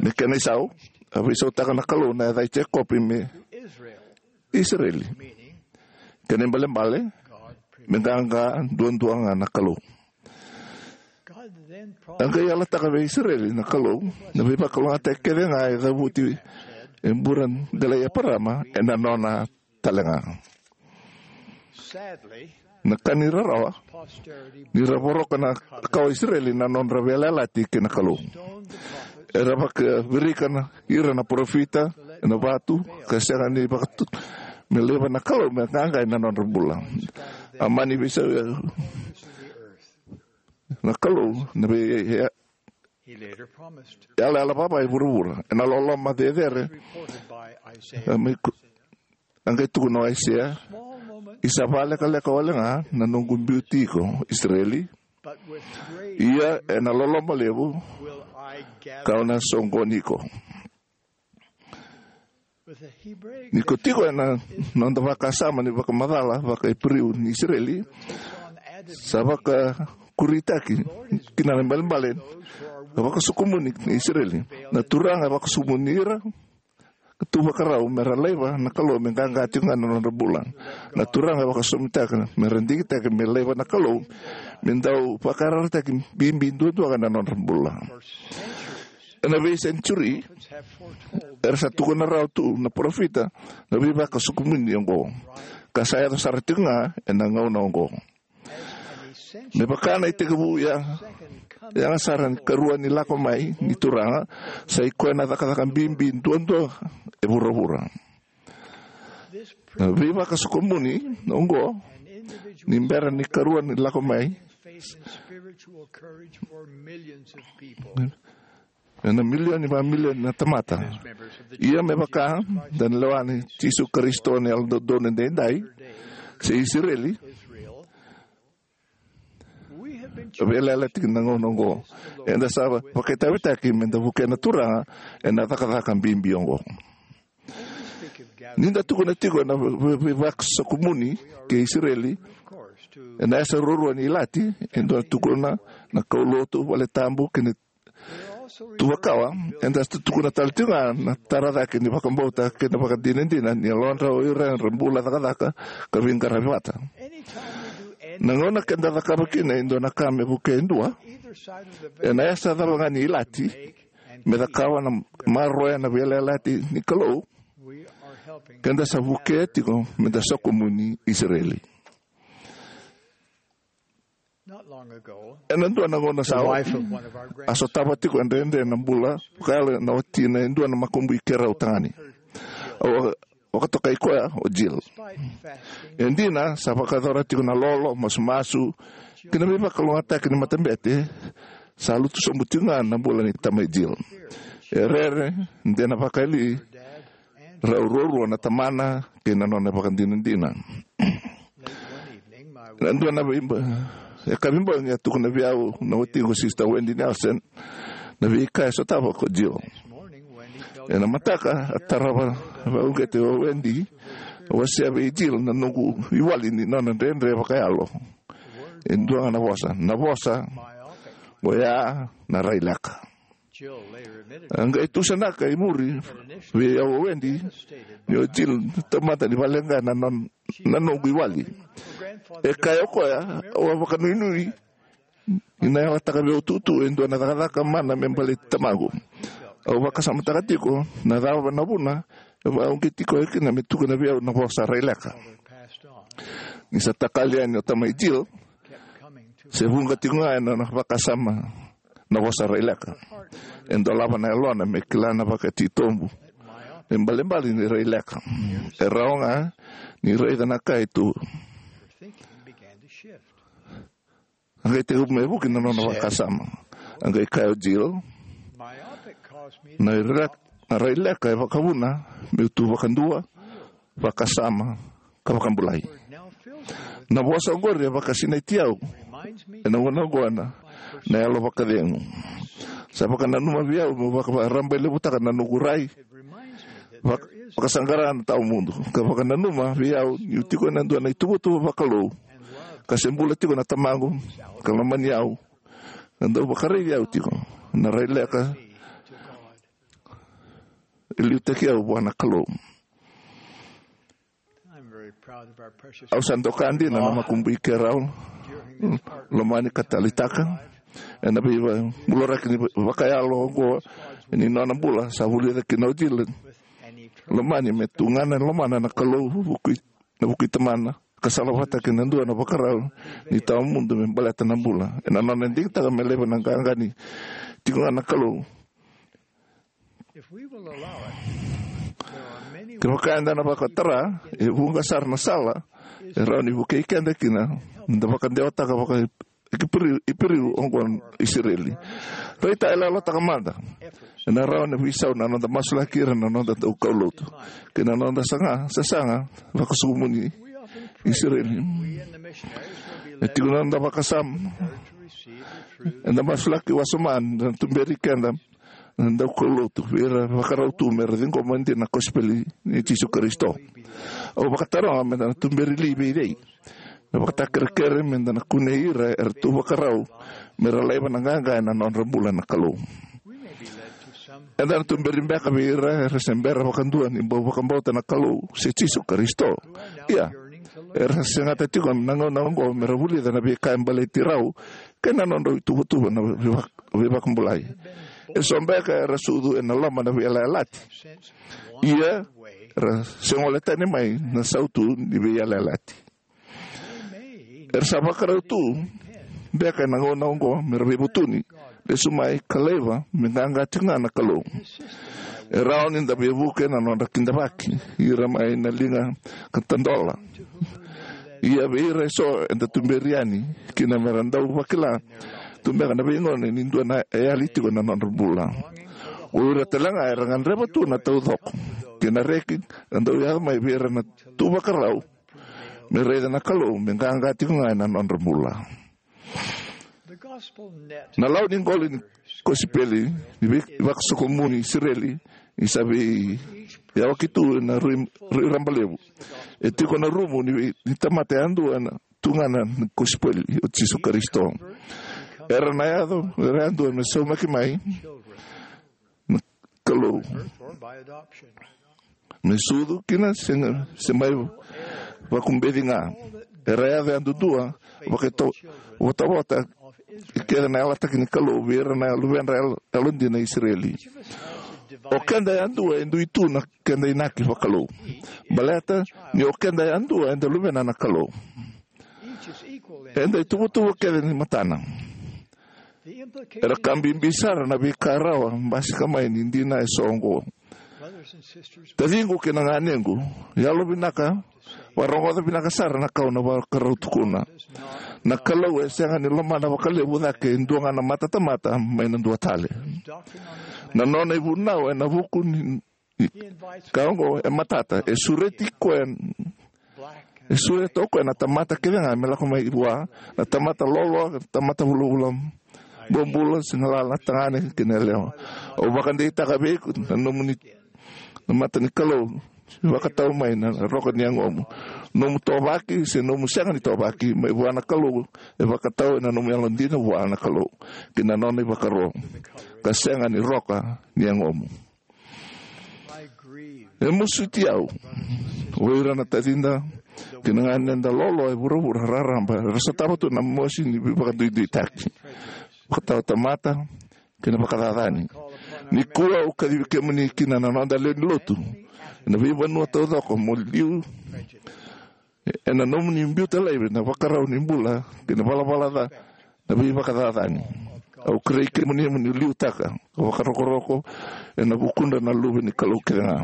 Me kena isau, a veisautaka na Kalou na yaca i Jekope me Isireli. Kena ibalebale, me qaqa duadua ga na Kalou. A qai yalataka vei Isireli na Kalou na veivakalougatataki kece ga e cavuti e bula delai Eparama ena nona tale ga. Na ka ni rarawa, ni ra voroka na kawa Isireli na nodra veiyalayalati kei na Kalou. Era vakavirika na, ira na parofita ena vatu, ka sega ni vakatu me laiva na Kalou me qaqa ena nodra bula. A mani veisau na Kalou na vei, e, yalayala vava e vuravura ena loloma cecere. A mai ku-, a qai tukuna o Aisea: I sa vakalekaleka wale ga na noqu biuti iko, Isireli. Ia ena loloma levu kau na soqoni iko. Ni ko tiko ena noda vakasama ni vakamacala vaka-Iperiu ni Isireli, sa vakakuritaki kina na ibalebale na vakasokomuni ni Isireli. Na Turaga e vakasokomuni ira tu vakarau me ra laiva na Kalou me qaqa tiko ga na nodra bula. Na Turaga e vakasomitaka me ra digitaka me laiva na Kalou me dau vakayarayarataki bibi duadua ga na nodra bula. Ena veisenitiuri, era sa tukuna rawa tu na parofita na veivakasokomuni oqo, ka sa yaco sara tiko ga ena gauna oqo. Me vaka na itekivu ya, yaga sara ni karua ni lako mai ni Turaga, sa i koya na cakacaka bibi duadua e vuravura. Na veivakasokomuni oqo, ni bera ni karua ni lako mai, ena milioni va milioni na tamata. Ia me vaka da na lewa ni Jisu Karisito ni Yalododonu Edaidai, se Isireli, veiyalayalati kina na gauna oqo. Eda sa vakaitavitaki me da vukea na Turaga ena cakacaka bibi oqo. Ni da tukuna tiko na vei- vei- veivakasokumuni kei Isireli, ena yasa ruarua ni ilati, e dua na tukuna na kaulotu, valetabu kei na tuvakawa. Eda sa tukuna tale tiko ga na tara cake ni vakabauta kei na vakadinadina ni yalodra o ira era bula cakacaka ka veiqaravi vata. Na gauna keda cakava kina e dua na ka me vukea e dua, ena yasa cava ga ni ilati, me cakava na maroroya na veiyalayalati ni Kalou, keda sa vukea tiko me da sokomuni Isireli. Ena dua na gauna sa oti, a sotava tiko e dredre na bula vakayalo na watina e dua na makubui keirau tagane. Au vakatokai koya o Jill. E dina, sa vakayacora tiko na lolo, masumasu kei na veivakalougatataki ni matabete, sa lutu sobu tiko ga na bula ni tamai Jill. E rere, de na vakayali rau ruarua na tamana kei na nona vakadinadina. Na dua na veiba- e ka veibogi a tukuna vei au na watiqu, Sister Wendy Nelson, na veika e sotava ko Jill. Ena mataka a tarava vakauqeti o Wendy, a wasea vei Jill na noqu iwali ni nona dredre vakayalo. E dua ga na vosa, na vosa oya na raileka. A qai tusanaka i muri vei au o Wendy ni o Jill na tamata ni valeqa na non- na noqu iwali. E kaya o koya, au a vakanuinui ni na yalataka vei au tutu e dua na cakacaka mana me baleti tamaqu. Au vakasamataka tiko na cava na vuna e vakauqeti koya kina me tukuna vei au na vosa raileka. Ni sa takali yani o tamai Jill, se vuqa tiko ga ena nona vakasama na vosa raileka. E dolava na yalona me kila na vakatitobu me balebale ni raileka. E rawa ga ni raica na ka e tu. A qai tekivu me vuki na nona vakasama. A qai kaya o Jill, na ira- na raileka e vakavuna meu tu vakadua, vakasama, ka vakabulai. Na vosa oqori e vakasinaiti au ena gauna oqo na yalo vakacegu. Sa vakananuma vei au meu vakavakarabailevutaka na noqu rai, vak- vakasaqara na tawamudu, ka vakananuma vei au niu tiko ena dua na ituvatuva vakalou, ka se bula tiko na tamaqu ka lomani au, ka dau vakaraici au tiko. Na raileka e liutaki au vua na Kalou. Au sa doka dina na makubui keirau lomani ka taleitaka. Ena veivakabulai ni vakayalo oqo ni nona bula, sa vulica kina o Jill lomani me tugana e lomana na Kalou, vukui- na vukui tamana, ka salavata kei na dua na vakarau ni tawamudu me baleta na bula. Ena nona digitaka me laiva na qaqa ni tiko ga na Kalou, kevaka eda na vakatara, e vuqa sara na sala e rawa ni vukei keda kina me da vakadewataka vaka- Iperiu, Iperiu oqo na Isireli. Raitayaloyalotaka mada ena rawa na veisau na noda masulaki ira na noda daukaulotu kei na noda saga- sasaga vakasokumuni Isireli. E tiko na noda vakasama, eda masulaki wasoma na tuberi keda na daukaulotu vei ira vakarau tu me ra ciqoma dina na kosipeli ni Jisu Karisito. Au vakataroga me da na tuberi li vei cei? Na vakatakerekere me da na kunei ira era tu vakarau me ra laiva na qaqa ena nodra bula na Kalou. Eda na tuberi beka vei ira era se bera vakadua ni bau vakabauta na Kalou se Jisu Karisito. Ia, era segata tiko na gauna oqo me ra vulica na veika e baleti rau kei na nodrau ituvatuva na veivak- veivakabulai. Eso beka era sucu ena loma na veiyalayalati. Ia, era se gole tani mai na sautu ni veiyalayalati. Era sa vakarau tu beka ena gauna oqo me ra veivutuni, lesu mai ka laiva me qaqa tiko ga na Kalou. E rawa ni da veivuke na nodra kidavaki ira mai na liga ka tadola. Ia vei ira eso eda tuberi yani kina me ra dau vakila tu beka na veigone ni dua na yali tiko na nodra bula. O ira tale ga era gadreva tu na taucoko kei na reki, e dau yaco mai vei ira na tu vakarau me raica na Kalou me qaqa tiko ga ena nodra bula. Na lau ni qoli ni kosipeli ni vei- vakasokomuni Isireli ni sa veiyawaki tu ena rui, rui raba levu. E tiko na rumu ni, vei- ni tamata yadua na tugana ni kosipeli o Jisu Karisito. Era na yaco, era yadua me saumaki mai na Kalou. Me sucu kina se, se mai vakubeci ga. Era yaco yadudua, vakaito- votavota kece na yalataki ni Kalou vei ira na luvedra yalo- yalodina Isireli. O keda yadua e dui tu na keda inaki vakalou. Baleta ni o keda yadua eda luvena na Kalou. Eda ituvatuva kece ni matana. Era ka bibi sara na veika rawa basika mai ni dina eso oqo. Taciqu kei na ganequ, yalovinaka, vakarogoca vinaka sara na ka au na vakarau tukuna. Na Kalou e sega ni lomana vakalevu cake e dua ga na matatamata mai na dua tale. Na nona ivunau ena vuku ni, ni ka oqo e matata, e sureti koya, e sureta o koya na tamata kece ga me lako mai vua, na tamata loaloa, na tamata vulavula bobula, se galala, tagane kei na yalewa. Au vakadeitaka vei iko na nomuni, na mata ni Kalou, vakatau mai na roka ni yagomu. Nomu tovaki se nomu sega ni tovaki mai vua na Kalou, e vakatau ena nomu yalodina vua na Kalou kei na nona ivakaro, ka sega ni roka ni yagomu. E masuti au o ira na tacida kei na ganeda loaloa e vuravura raraba era sotava tu na mosi ni veivakaduiduitaki, vakatawatamata kei na vakacacani. Nikua au kacivi kemuni kina na noda lewe ni lotu ena veivanua taucoko mo liu ena nomuni biuta laivi na vakarau ni bula kei na valavala ca, na veivakacacani. Au kerei kemuni mo ni liutaka ka vakarokoroko ena vukudra na luve ni Kalou kece ga.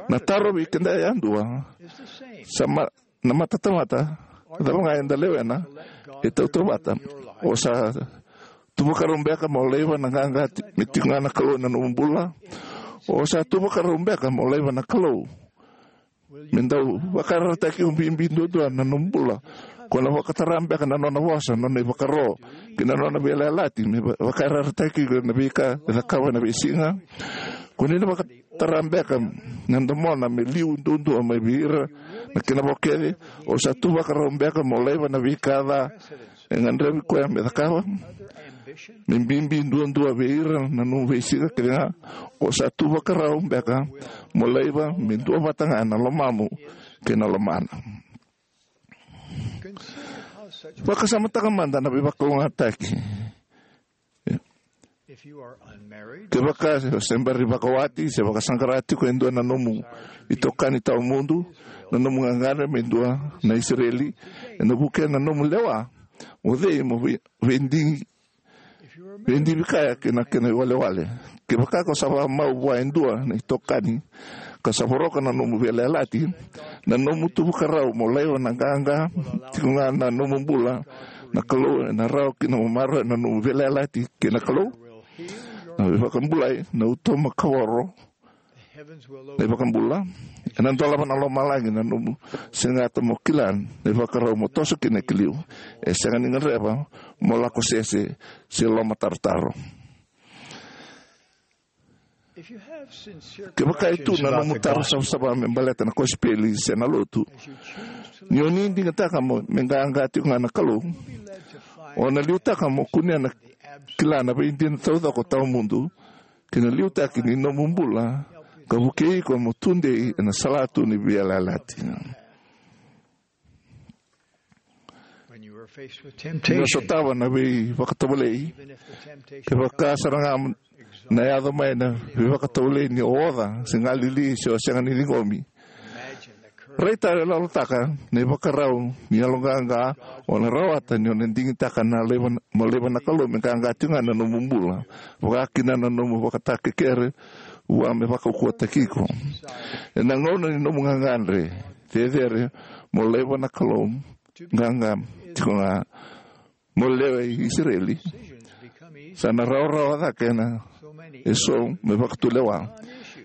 Na taro vei keda yadua, sa ma- na matatamata cava ga eda lewena, e tautauvata. O sa tu vakarau beka mo laiva na qaqa ti- me tiko ga na Kalou ena nomu bula? O sa tu vakarau beka mo laiva na Kalou me dau vakayarayarataki iko bibi duadua na nomu bula? Ko na vakatara beka na nona vosa, nona ivakaro kei na nona veiyalayalati me va- vakayarayarataki iko ena veika e cakava ena veisiga? Ko ni na vakatara beka na domona me liu duadua mai vei ira na kena vo kece? O sa tu vakarau beka mo laiva na veika ca e gadrevi koya me cakava, me bibi duadua vei ira na nomu veisiga kece ga? O sa tu vakarau beka mo laiva me duavata ga na lomamu kei na lomana? Vakasamataka mada na veivakalougatataki. Kevaka o se bera ni vakawati se vakasaqara tiko e dua na nomu itokani tawamudu, na nomu gagadre me dua na Isireli, ena vukea na nomu lewa, o cei mo vei- veidi- veidivi kaya kei na kena iwalewale? Kevaka ko sa vakamau vua e dua na itokani ka sa voroka na nomu veiyalayalati, na nomu tu vakarau mo laiva na qaqa tiko ga na nomu bula na Kalou ena rawa kina mo maroroya na nomu veiyalayalati kei na Kalou? Na veivakabulai, na uto makavoro, na iVakabula, ena dolava na lomalagi na nomu segata mo kila na ivakarau mo toso kina ki liu. E sega ni gadreva mo lako sese se lomatarotaro. Kevaka e tu na nomu taro savasava me baleta na kosipeli se na lotu, ni o ni digitaka mo me qaqa tiko ga na Kalou, o na liutaka mo kunea na kila na veidina taucoko tawamudu kei na liutaki ni nomu bula ka vukei iko mo tudei ena salatu ni veiyalayalati. When you are faced with temptation, ni o sotava na veivakatovolei, even if the temptation kevaka sara ga na yaco mai na veivakatovolei ni o oca se galili se o sega ni ciqomi, imagine the courage. Raitayaloyalotaka na ivakarau ni yaloqaqa o na rawata ni o na digitaka na laiva, mo laiva na Kalou me qaqa tiko ga na nomu bula, vaka kina na nomu vakatakekere vua me vakaukauwataki iko. Ena gauna ni nomu gagadre cecere, mo laiva na Kalou qaqa tiko ga mo lewe i Isireli. Sa na rawarawa cake na eso me vakatulewa.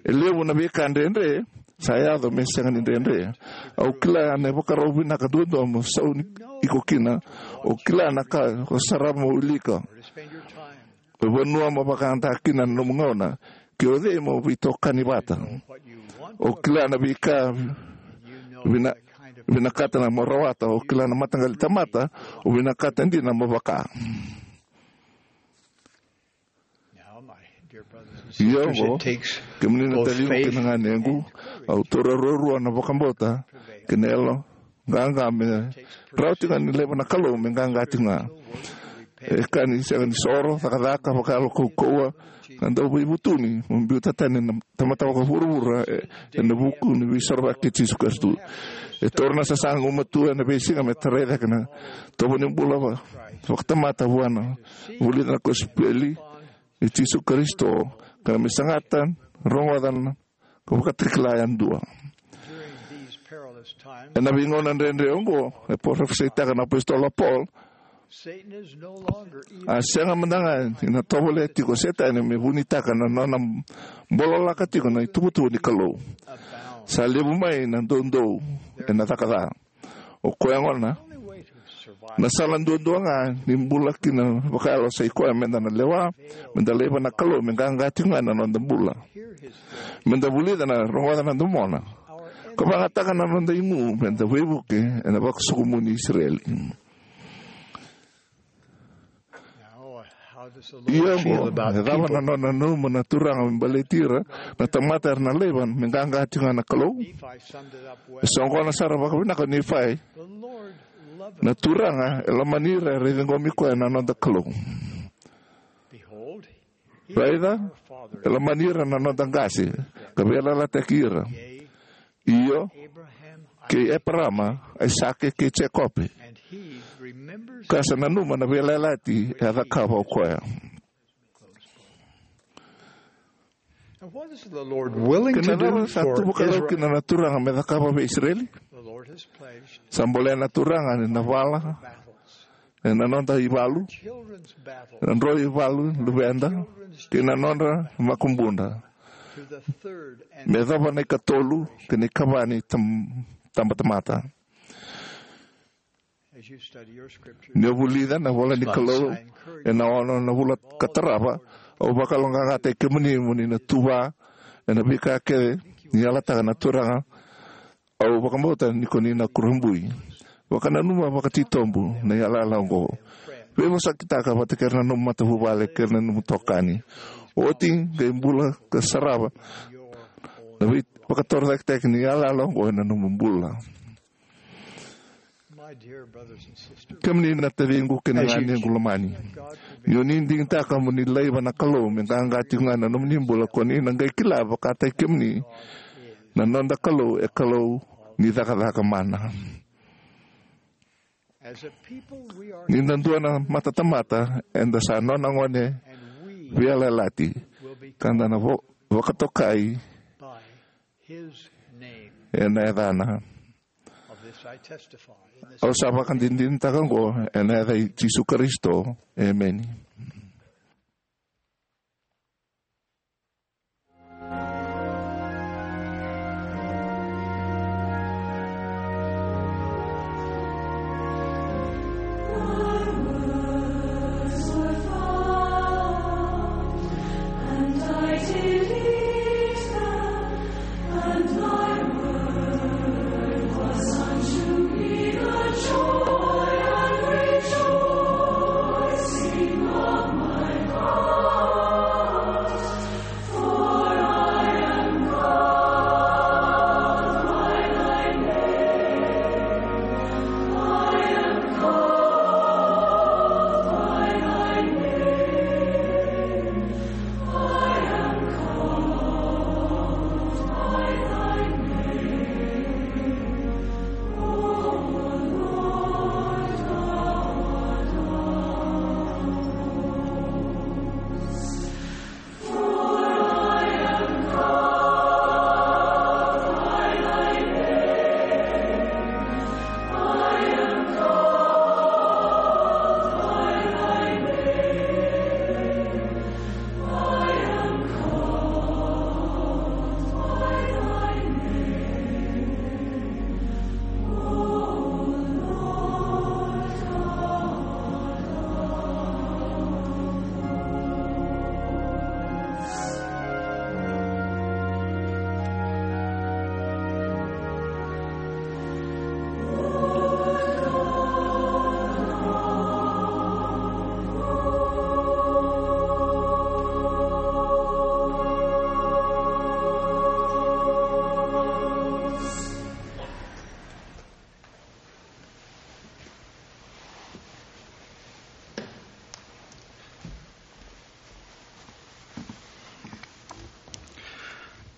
E levu na veika dredre sa yaco me sega ni dredre. Au kila na ivakarau vinaka duadua mo sau ni iko kina. O kila na ka o sarava mo wilika. O vanua mo vakada kina na nomu gauna. Ke o cei mo veitokani vata. O kila na veika vina, vinakata na mo rawata. O kila na mataqali tamata o vinakata dina mo vaka. Ia oqo, kemuni na taciqu kei na ganequ, au taura ruarua na vakabauta kei na yalo qaqa me rawa tiko ga ni laiva na Kalou me qaqa tiko ga. E ka ni sega ni soro, cakacaka, vakayalo kaukauwa, ka dau veivutuni mo biuta tani na tamata vakavuravura e, ena vuku ni veisorovaki kei Jisu Karisito. E taura na sasaga gumatua ena veisiga me tarai cake na tovo ni bula va, vakatamata vua na vulica na kosipeli i Jisu Karisito, ka na me sagata, rogoca na ka vakatakila yadua. Ena veigauna dredre oqo, e parofisaitaka na apositolo o Paul, a sega mada ga ni na tovolea tiko o Setani me vunitaka na nona bololaka tiko na ituvatuva ni Kalou. Sa levu mai na doudou ena caka ca. O koya gona na sala duadua ga ni bula kina vakayalo sa i koya meda na lewa, meda laiva na Kalou me qaqa tiko ga na noda bula. Meda vulica na rogoca na domona ka vagataka na noda igu meda veivuke ena vakasokumuni Isireli. Ia oqo, e cava na nona nanuma na Turaga me baleti ira na tamata era na laiva me qaqa tiko ga na Kalou? E soqona sara vakavinaka o Nifai. Na Turaga e lomani ira era ciqomi koya na noda Kalou. Raica, e lomani ira na noda qase ka veiyalayalati ira. Io, kei Eparama, Aisake kei Jekope. Ka sa nanuma na veiyalayalati e a cakava o koya. Kena cava sa tu vakarau kina na Turaga me cakava vei Isireli? Sa bolea na Turaga ni na vala ena noda ivalu, na dro ivalu luveda, kei na nodra makubuda, me yacova na ikatolu kei na ikava ni tam-, tabatamata. Ni o vulica na vola ni Kalou ena ono na vula ka tarava, au vakaloqaqataki kemuni mo ni na tuva ena veika kece ni yalataka na Turaga. Au vakabauta ni ko ni na kurabui. Vakananuma vakatitobu na yalayala oqo. Veivosakitaka vata kei ira na nomu matavuvale kei ira na nomu tokani. Oti qai bula ka sarava na veivakatorocaketaki ni yalayala oqo ena nomu bula. Kemuni na taciqu kei na ganequ lomani, ni o ni digitaka mo ni laiva na Kalou me qaqa tiko ga na nomuni bula, ko ni na qai kila vakataki kemuni na noda Kalou e Kalou ni cakacaka mana. Ni da dua na matatamata, eda sa nona gone veiyalayalati, ka da na vo-, vakatokai ena yacana. Au sa vakadinadinataka oqo ena yaca i Jisu Karisito. Emeni.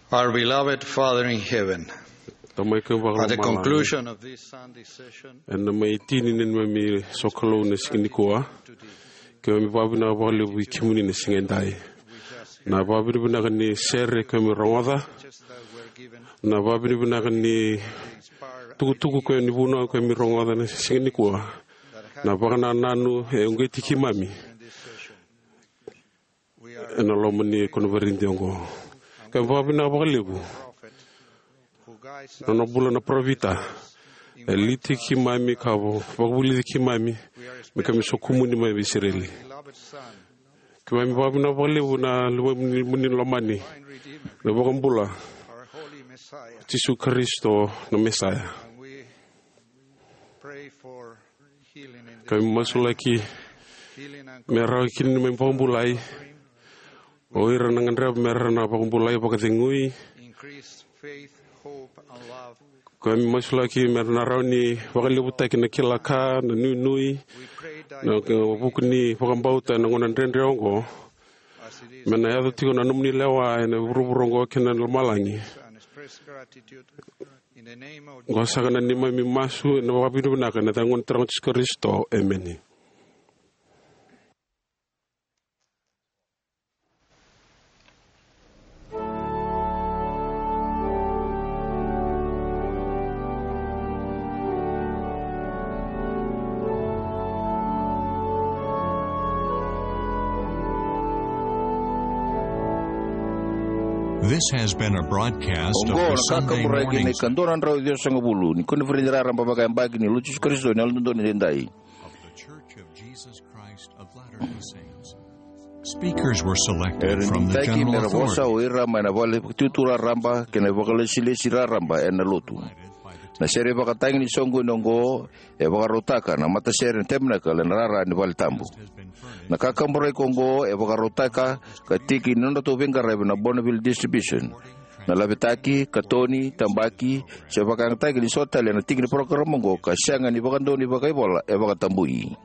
Our beloved Father in heaven, Tamai keimami at the vakalomalagi, conclusion of this Sunday session, ena mai tini ni neimami sokalou na siga nikua, keimami vakavinavinaka vakalevu vei kemuni na siga edai. Na vakavinavinaka ni sere keimami rogoca, na vakavinavinaka ni tukutuku keimami, vunau keimami rogoca na siga nikua, na vakanananu e uqeti keimami ena loma ni koniferedi oqo. Keimami vakavinavinaka vakalevu na nona bula na parofita, e liti keimami ka vakavulici keimami me keimami sokumuni mai vei Isireli. Keimami vakavinavinaka vakalevu na luvemuni lomani, na iVakabula, Jisu Karisito na Mesaya. Keimami masulaki me rawa kina ni mai vakabulai o ira na gadreva me ra na vakabulai, vakacegui. Keimami masulaki me ra na rawa ni vakalevutaki na kila ka, na nuinui, na vuku ni vakabauta ena gauna dredre oqo, me na yaco tiko na nomuni lewa ena vuravura oqo kei na lomalagi. Oqo saka na neimami masu ena vakavinavinaka ena yaca ni Gone Turaga o Jisu Karisito. Emeni. This has been a broadcast of Oqo the na Sunday kakaburaki na morning's ikadua na drau ciwasagavulu ni koniferedi raraba vakayabaki ni Lotu i Jisu Karisito ni Yalododonu Edaidai. Of the Church of Jesus Christ of Latter-day Saints. Speakers were selected from the general authority. Era digitaki me ra vosa o ira mai na vale vakatutu raraba kei na vakalesilesi raraba ena lotu. Na sere vakatagi ni soqoni oqo e vakarautaka na matasere na Tabernacle ena rara ni vale tabu. Na kakaburaki oqo e vakarautaka ka tiki ni nodratou veiqaravi na Bonneville Distribution. Na lavetaki, katoni, tabaki, se vakayagataki ni so tale ena tiki ni parokaramu oqo ka sega ni vakadonui vakaivola e vakatabui.